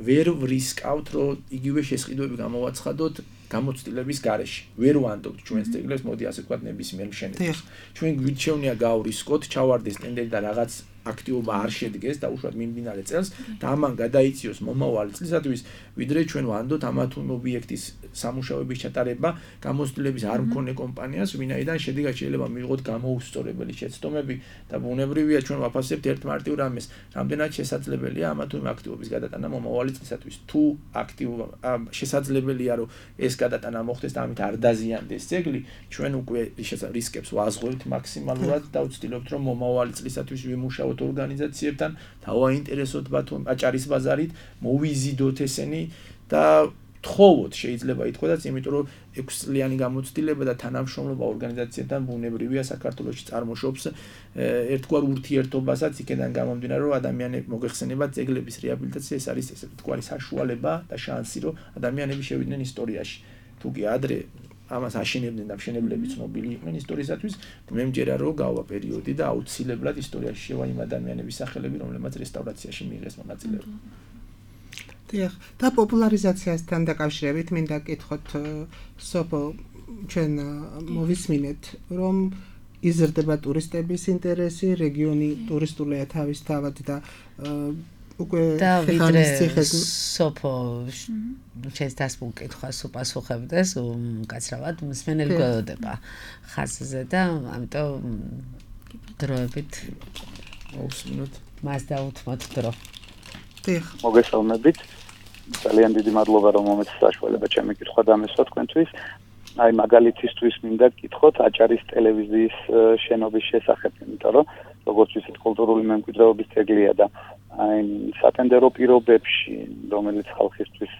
ვერ ვრისკავთ, რომ იგივე შესყიდვები გამოვაცხადოთ გამოცდილების გარეშე. ვერ ვანდობთ ჩვენს ძეგლებს, მოდი ასე ვთქვათ, ნებისმიერ მშენებლობას. ჩვენ გვირჩევნია გავრისკოთ, ჩავარდეს ტენდერი და რაღაც აქტივობა არ შედგეს და უშუალოდ მიმდინარე წელს და ამან გადაიწიოს მომავალი წლისათვის, ვიდრე ჩვენ ვანდოთ ამა თუ იმ ობიექტის სამუშაოების ჩატარება გამოცდილების არ მქონე კომპანიას, ვინაიდან შედეგად შეიძლება მივიღოთ გამოუსწორებელი შეცდომები და ბუნებრივია ჩვენ ვაფასებთ ერთ მარტივ რამეს, რამდენად შესაძლებელია ამა თუ იმ აქტივობის გადატანა მომავალი წლისათვის. თუ აქტივობა შესაძლებელია, რომ ეს გადატანა მოხდეს და ამით არ დაზიანდეს ძეგლი, ჩვენ უკვე რისკებს ვაზღვევთ მაქსიმალურად და ვცდილობთ, რომ მომავალი წლისათვის ვიმუშაოთ ორგანიზაციებთან, დავაინტერესოთ აჭარის ბაზარით, მოვიზიდოთ ესენი და თხოვოთ შეიძლება ითქვას, იმიტომ რომ 6 წლიანი გამოცდილება და თანამშრომლობა ორგანიზაციებთან ბუნებრივია საქართველოში წარმოშობს ერთგვარ ურთიერთობასაც იქიდან გამომდინარე, რომ ადამიანები მოგეხსენებათ ძეგლების რეაბილიტაცია, ეს არის ესე ვთქვათ საშუალება და შანსი, რომ ადამიანები შევიდნენ ისტორიაში. თუ კი ადრე ამას აშენებდნენ და მშენებლები ცნობილი იყვნენ ისტორიისათვის, მე მჯერა რომ გავა პერიოდი და აუცილებლად ისტორიაში შევა იმ ადამიანების სახელები, რომლებმაც რესტავრაციაში მიიღეს მონაწილეობა. დიახ, და პოპულარიზაციასთან დაკავშირებით მინდა გკითხოთ სოფო, ჩვენ მოვისმინეთ, რომ იზრდება ტურისტების ინტერესი, რეგიონი ტურისტულია თავისთავად და უკვე ხეხანის ციხეს სოფო ჩვენს დასმულ კითხვას უპასუხებდეს უკაცრავად მსმენელი გვეუბნება ხაზზე და ამიტომ დროებით მოვსმინოთ მას დაუთმოთ დრო. დიახ, მოგესალმებით. ძალიან დიდი მადლობა რომ მომეცეთ საშუალება ჩემი კითხვა დამესვა თქვენთვის. აი მაგალითისთვის მინდა გკითხოთ აჭარის ტელევიზიის შენობის შესახებ, იმიტომ რომ როგორც ვთქვით, კულტურული მემკვიდრეობის ძეგლია და აი სატენდერო პირობებში, რომელიც ხალხისთვის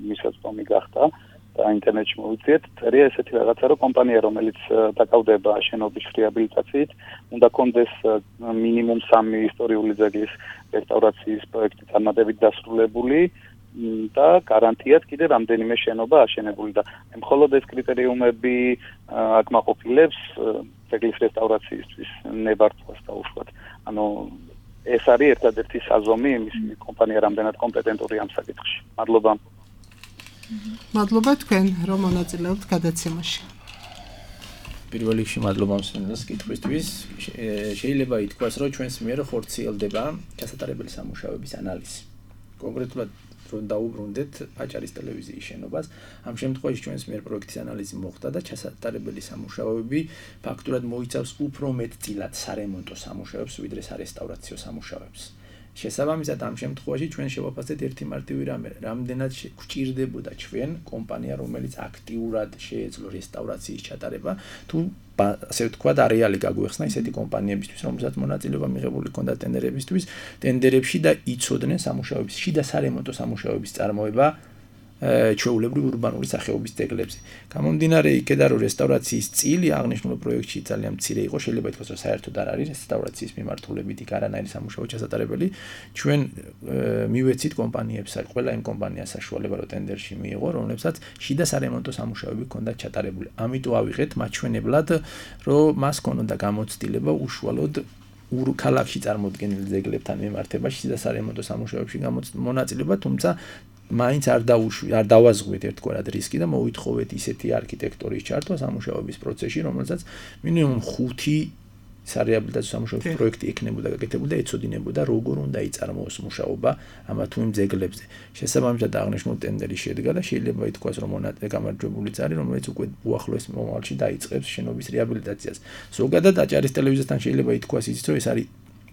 მისაწვდომი გახდა და ინტერნეტში მოვიძიეთ, წერია ესეთი რაღაცა, რომ კომპანია, რომელიც დაკავდება შენობის რეაბილიტაციით, უნდა კონდეს მინიმუმ 3 ისტორიული ძეგლის რესტავრაციის პროექტი წარმატებით დასრულებული და გარანტიად კიდე რამდენიმე შენობა აშენებული და მხოლოდ ეს კრიტერიუმები აკმაყოფილებს ძეგლის რესტავრაციისთვის ნებართვას და უშუალოდ ანუ ეს არის ერთადერთი საზომი იმის კომპანია რამდენად კომპეტენტური ამ საკითხში. მადლობა. მადლობა თქვენ რომ მონაწილეობთ გადაცემაში. პირველ რიგში მადლობა მსმენელს კითხვისთვის. შეიძლება ითქვას, რომ ჩვენს მიერ ხორციელდება ჩასატარებელი სამუშაოების ანალიზი. კონკრეტულად რომ დაუბრუნდეთ აჭარის ტელევიზიის შენობას, ამ შემთხვევაში ჩვენს მიერ პროექტის ანალიზი მოხდა და ჩასატარებელი სამუშაოები ფაქტურად მოიცავს უფრო მეტწილად სარემონტო სამუშაოებს, ვიდრე სარესტავრაციო სამუშაოებს. შესაბამისად, ამ შემთხვევაში ჩვენ შევაფასეთ ერთი მარტივი რამე, რამდენად გვჭირდებოდა ჩვენ კომპანია, რომელიც აქტიურად შეეძლო რესტავრაციის ჩატარება, თუ ასე ვთქვათ, არეალი გაგვეხსნა ისეთი კომპანიებისთვის, რომელსაც მონაწილეობა მიღებული ჰქონდა ტენდერებისთვის, ტენდერებში და იცოდნენ სამუშაოების შიდა სარემონტო სამუშაოების წარმოება ჩვეულებრივ ურბანული სახეობის ძეგლებზე. გამომდინარე იქედან, რომ რესტავრაციის წილი აღნიშნულ პროექტში ძალიან მცირე იყო, შეიძლება ითქვას, რომ საერთოდ არ არის რესტავრაციის მიმართულებით იქ არანაირი სამუშაო ჩასატარებელი. ჩვენ მივეცით კომპანიებს, ყველა იმ კომპანიას საშუალება რომ ტენდერში მიიღო, რომლებსაც შიდა სარემონტო სამუშაოები ჰქონდათ ჩატარებული. ამიტომ ავიღეთ მაჩვენებლად, რომ მას ჰქონდა გამოცდილება უშუალოდ ქალაქში წარმოდგენილ ძეგლებთან მიმართებაში შიდა სარემონტო სამუშაოებში მონაწილეობა, თუმცა მაინც არ დავაზღვით ერთგვარად რისკი და მოვითხოვეთ ისეთი არქიტექტორის ჩართვა სამუშაოების პროცესში, რომელსაც მინიმუმ 5 სარეაბილიტაციო სამუშაოების პროექტი ექნებოდა გაკეთებული და ეცოდინებოდა როგორ უნდა იწარმოოს მუშაობა ამა თუ იმ ძეგლებზე. შესაბამისად აღნიშნულ ტენდერი შედგა და შეიძლება ითქვას, რომ გამარჯვებული არის, რომელიც უკვე უახლოეს მომავალში დაიწყებს შენობის რეაბილიტაციას. ზოგადად აჭარის ტელევიზიასთან შეიძლება ითქვას ისიც, რომ ეს არის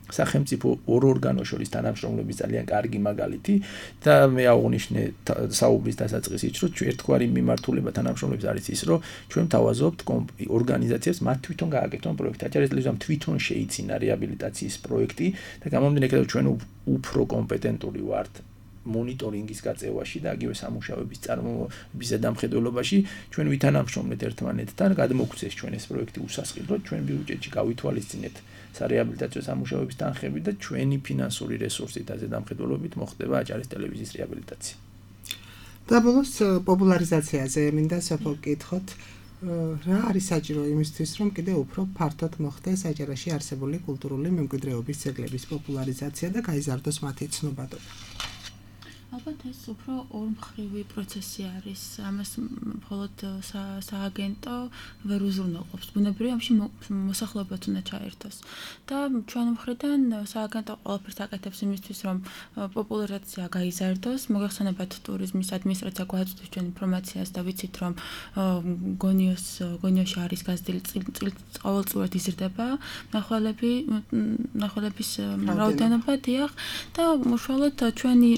სახელმწიფო ორ ორგანოს შორის თანამშრომლობის ძალიან კარგი მაგალითი და მე აღვნიშნე საუბრის დასაწყისით, რომ ერთგვარი მიმართულება თანამშრომლობის არის ის, რომ ჩვენ თავაზობთ ორგანიზაციებს მათ თვითონ გააკეთონ პროექტი. აჭარის ტელევიზიამ თვითონ შეიცინა რეაბილიტაციის პროექტი და გამომდინარე იქედან, ჩვენ უფრო კომპეტენტური ვართ მონიტორინგის გაწევაში და აგივე სამუშაოების წარმოების ზედამხედველობაში. ჩვენ ვითანამშრომლეთ ერთმანეთთან, გადმოგვცეს ჩვენ ეს პროექტი უსასყიდლოდ, ჩვენ ბიუჯეტში გავითვალისწინეთ სარეაბილიტაციო სამუშაოების თანხები და ჩვენი ფინანსური რესურსით და ზედამხედველობით მოხდება აჭარის ტელევიზიის რეაბილიტაცია. და ბოლოს პოპულარიზაციაზე მინდა სოფო გკითხოთ. რა არის საჭირო იმისთვის, რომ კიდე უფრო ფართოდ მოხდეს აჭარაში არსებული კულტურული მემკვიდრეობის ძეგლების პოპულარიზაცია და გაიზარდოს მათი ცნობადობა? ალბათ ეს უფრო ორმხრივი პროცესი არის. ამას მხოლოდ სააგენტო ვერ უზრუნველყოფს. ბუნებრივია ამში მოსახლეობაც უნდა ჩაერთოს. და ჩვენ მხრიდან სააგენტო ყველაფერს აკეთებს იმისთვის, რომ პოპულარიზაცია გაიზარდოს. მოგეხსენებათ ტურიზმის ადმინისტრაცია გვაწვდის ჩვენ ინფორმაციას და ვიცით, რომ გონიოში არის გაზრდილი ყოველწლიურად იზრდება მნახველების რაოდენობა, დიახ, და უშუალოდ ჩვენი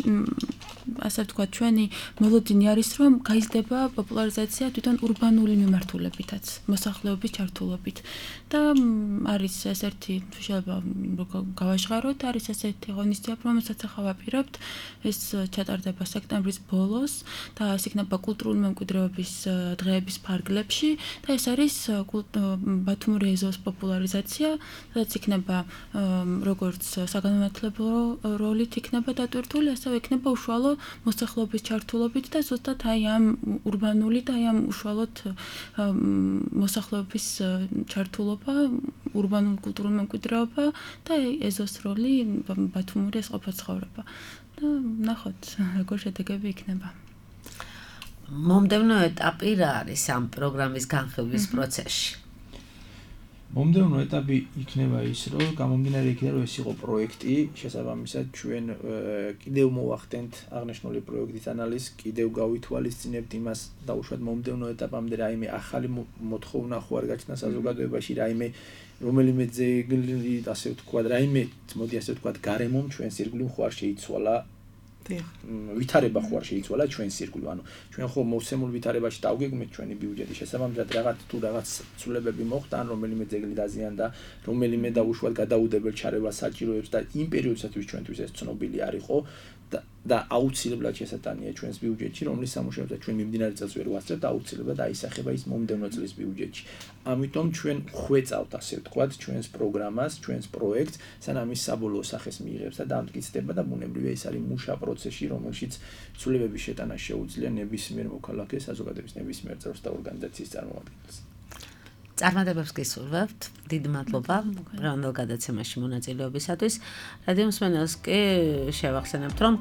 ასე ვთქვათ, ჩვენი მელოდინი არის, რომ გაიზრდება პოპულარიზაცია თვითონ ურბანული მიმართულებითაც, მოსახლეობის ჩართულობით. და არის ესეთი შეიძლება გავაჟღაროთ, არის ესეთი ღონისძიება, რომელსაც ახლა ვაპირებთ, ეს ჩატარდება სექტემბრის ბოლოს და ეს იქნება კულტურული მემკვიდრეობის დღეების ფარგლებში და ეს არის ბათუმური ეზოს პოპულარიზაცია, სადაც იქნება როგორც საგანმანათლებლო როლით იქნება დატვირთული, ასევე იქნება უშუალო მოსახლეობის ჩართულობით და ზუსტად აი ამ ურბანული და აი ამ უშუალოდ მოსახლეობის ჩართულობა, ურბანული კულტურული მემკვიდრეობა და ეზოს როლი ბათუმური ეს ყოფა-ცხოვრება. და ნახოთ, როგორ შედეგები იქნება. მომდევნო ეტაპი რა არის ამ პროგრამის განხილვის პროცესში? მომდევნო ეტაპი იქნება ის, რომ გამომდინარე იქიდან, რომ ეს იყო პროექტი, შესაბამისად ჩვენ კიდევ მოვახდენთ აღნიშნული პროექტის ანალიზს, კიდევ გავითვალისწინებთ იმას და უშუალოდ მომდევნო ეტაპამდე რაიმე ახალი მოთხოვნა ხო არ გაჩნდა საზოგადოებაში, რაიმე რომელიმე ძეგლი, ასე ვთქვათ, რაიმე, მოდი ასე ვთქვათ, გარემომ ჩვენს ირგვლივ ხო არ შეიცვალა. ვითარება ხო არ შეიცვალა ჩვენს ირგვლივ, ანუ ჩვენ ხო მოვსემულ ვითარებაში დავგეგმეთ ჩვენი ბიუჯეტი, შესაბამისად რაღაც ცვლილებები მოხდა, ან რომელიმე ძეგლი დაზიანდა, რომელიმე და უშუალოდ გადაუდებელ ჩარევას საჭიროებს და იმ პერიოდისათვის ჩვენთვის ეს ცნობილი არ იყო და აუცილებლად შესატანია ჩვენს ბიუჯეტში, რომლის სამუშაოსაც ჩვენ მიმდინარე წელს ვერ ვასწრებთ, აუცილებლად აისახება ის მომდევნო წლის ბიუჯეტში. ამიტომ ჩვენ ხვეწავთ, ასე ვთქვათ, ჩვენს პროგრამას, ჩვენს პროექტს, სანამ ის საბოლოო სახეს მიიღებს და დამტკიცდება და ბუნებრივია ის არის მუშა პროცესი, რომელშიც ცვლილებების შეტანა შეუძლია ნებისმიერ მოქალაქეს, საზოგადოების ნებისმიერ წევრს და ორგანიზაციის წარმომადგენელს. წარმატებებს გისურვებთ. დიდი მადლობა დღევანდელ გადაცემაში მონაწილეობისათვის. რადიო მსმენელს კი შევახსენებთ, რომ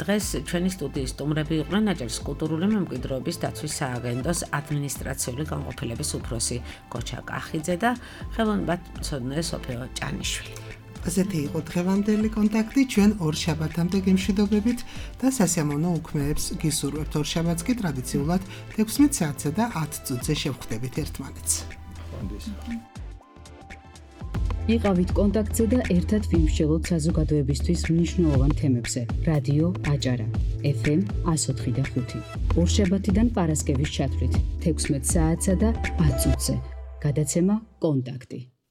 დღეს ჩვენი სტუდიის სტუმრები იყვნენ აჭარის კულტურული მემკვიდრეობის დაცვის სააგენტოს ადმინისტრაციული განყოფილების უფროსი გოჩა კახიძე და ხელოვნებათმცოდნე სოფიო ჭანიშვილი. ასეთი იყო დღევანდელი კონტაქტი, ჩვენ ორ შაბათამდე გემშვიდობებით და სასიამოვნო უქმეებს გისურვებთ. ორ შაბათს კი ტრადიციულად 16 საათსა და 10 წუთზე შევხვდებით ერთმანეთს. იყავით კონტაქტზე და ერთად ვიმსჯელოთ საზოგადოებისთვის მნიშვნელოვან თემებზე. რადიო აჭარა, FM 104.5. ორშაბათიდან პარასკევის ჩათვლით 16 საათსა და 10 წუთზე. გადაცემა კონტაქტი.